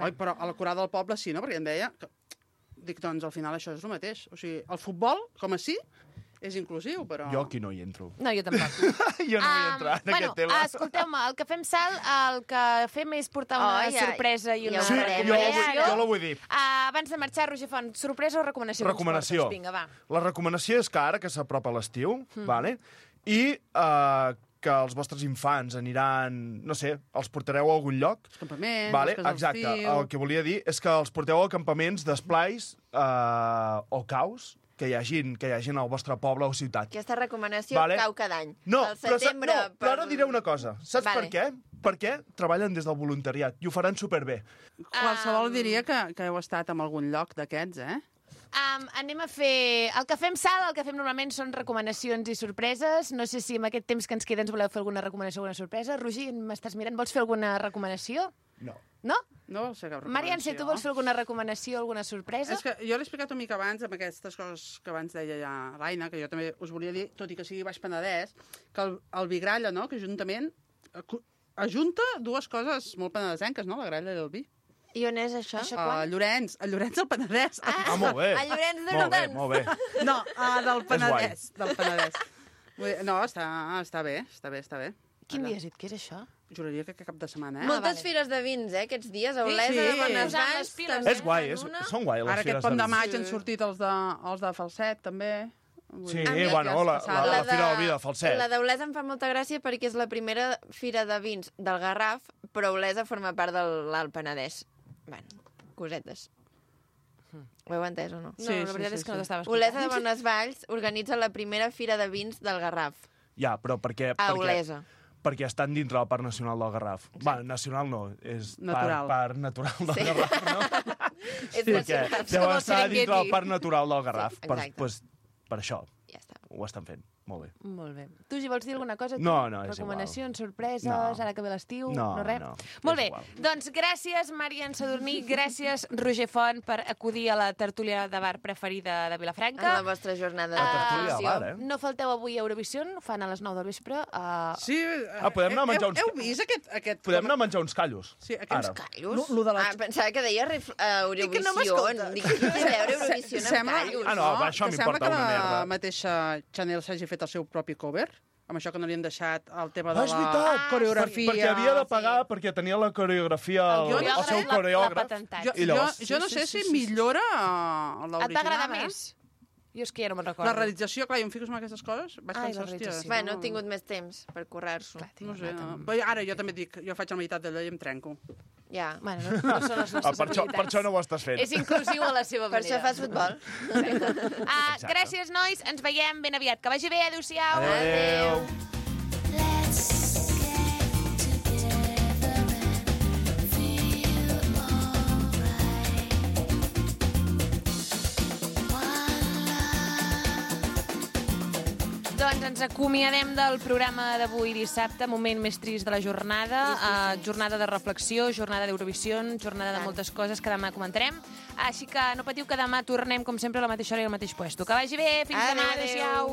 Oi, però a la coral del poble sí, no? Perquè em deia... Que... Dic, doncs, al final això és el mateix. O sigui, el futbol, com a sí, és inclusiu, però... Jo aquí no hi entro. No, jo tampoc. jo no vull entrar en bueno, aquest tema. escolteu-me, el que fem salt, el que fem és portar una Oh, ja- sorpresa i una ja ho Sí, farem, jo, ja, ho vull, ja. jo la vull dir. Uh, abans de marxar, Roger Font, sorpresa o recomanació? que ens Recomanació. portes? Vinga, va. La recomanació és que ara que s'apropa l'estiu, Mm. vale? i uh, que els vostres infants aniran, no sé, els portareu a algun lloc. Els campaments, Vale? les cases Exacte. d'estiu... El que volia dir és que els porteu a campaments d'esplais uh, o caus que hi, hagin, que hi hagin al vostre poble o ciutat. Aquesta recomanació Vale. cau cada any. No, Al però, sa- setembre... no, però ara diré una cosa. Saps Vale. per què? Perquè treballen des del voluntariat i ho faran superbé. Qualsevol Um, diria que, que heu estat en algun lloc d'aquests, eh? Um, anem a fer... El que fem salt, el que fem normalment són recomanacions i sorpreses. No sé si amb aquest temps que ens queda ens voleu fer alguna recomanació o alguna sorpresa. Roger, m'estàs mirant? Vols fer alguna recomanació? No. No? No vol ser cap Marian, si tu vols fer alguna recomanació, alguna sorpresa? És que jo l'he explicat una mica abans amb aquestes coses que abans deia ja l'Aina, que jo també us volia dir, tot i que sigui Baix Penedès, que el, el vi Gralla, no?, que juntament acu- ajunta dues coses molt penedesenques, no?, la gralla i el vi. I on és això? Això A Llorenç, a Llorenç del Penedès. Ah, molt bé. A Llorenç de Molt bé, Rodons. molt bé. No, ah, del guai. Penedès, del Penedès. Vull dir, no, està, està bé, està bé, està bé. Quin Allà. dia has dit que és això? Juraria que cap de setmana, eh? Moltes vale. fires de vins, eh, aquests dies. A Sí, Olesa, sí. de Posant les Bonesvalls, piles, també És guai, fan és, una. són guai les Ara aquest fires pont de vi. maig Sí. han sortit els de, els de Falset, també. Vull Sí, dir, A mi- bueno, la, la, la, La Fira del Vi de Falset. La d'Olesa em fa molta gràcia perquè és la primera fira de vins del Garraf, però Olesa forma part de l'Alt Penedès. Bueno, cosetes. Ho heu entès o no? No, Sí, la sí, veritat sí, és que no sí. t'estava Olesa de escoltant. Bonesvalls organitza la primera fira de vins del Garraf, Ja, però perquè... a perquè, Olesa. perquè estan dintre del Parc Nacional del Garraf. Bueno, nacional no, és Natural. Parc, parc natural del Sí. Garraf, no? És Perquè nacional. deu com el estar dintre Serengeti. del Parc Natural del Garraf. Sí, per, exacte. pues, per això Ja està. ho estan fent. Molt bé. Molt bé. Tu, si vols dir alguna cosa? Tu? No, no, és Recomanacions, sorpreses, No. ara que ve l'estiu, No, no res? no, Molt és bé, igual. doncs gràcies, Marian Sadurní, gràcies, Roger Font, per acudir a la tertúlia de bar preferida de En Vilafranca. la vostra jornada de La tertúlia de televisió. bar, eh? No falteu avui a Eurovision, ho fan a les nou del vespre. Uh... Sí, Ah, podem anar a menjar uns- Heu, heu vist aquest... aquest Podem anar a menjar uns callos. Sí, aquests Ara. Callos? Lo- lo de la- Ah, pensava que deia ref... uh, I que no Eurovisió. m'escoltes. Dic, què té a veure Eurovisió amb Sembla- callos? Ah, no, va, això que m'importa sembla una que merda. la mateixa Chanel s'hagi fet el seu propi cover, amb això que no li han deixat el tema de Ah, és la veritat! coreografia. Perquè havia de pagar perquè tenia la coreografia, el, El el, coreògraf seu l'ha- l'ha coreògraf. patentat. Jo, I jo, llavors- jo no sí, sé sí, si sí, sí. millora eh, l'original. Et va agradar eh? més? Jo és que ja no me'n recordo. La realització, clar, jo em fico en aquestes coses, vaig Ai, pensar, la hòstia... realització. Bueno, he tingut més temps per currar-s'ho. No sé, no. Però ara jo també dic, jo faig la meitat d'allò i em trenco. Ja. Bueno, no, no són les Ah, nostres per, això, per això no ho estàs fent. És inclusiu a la seva Per manera. això fas futbol. Ah, gràcies, nois. Ens veiem ben aviat. Que vagi bé. Adéu-siau. Adéu. Let's get together and feel alright. One love. Doncs ens acomiadem del programa d'avui dissabte, moment més trist de la jornada, sí, sí, sí. Uh, jornada de reflexió, jornada d'Eurovisió, jornada de moltes coses que demà comentarem. Així que no patiu que demà tornem, com sempre, a la mateixa hora i al mateix puesto. Que vagi bé, fins Adéu, demà, adéu. adéu-siau.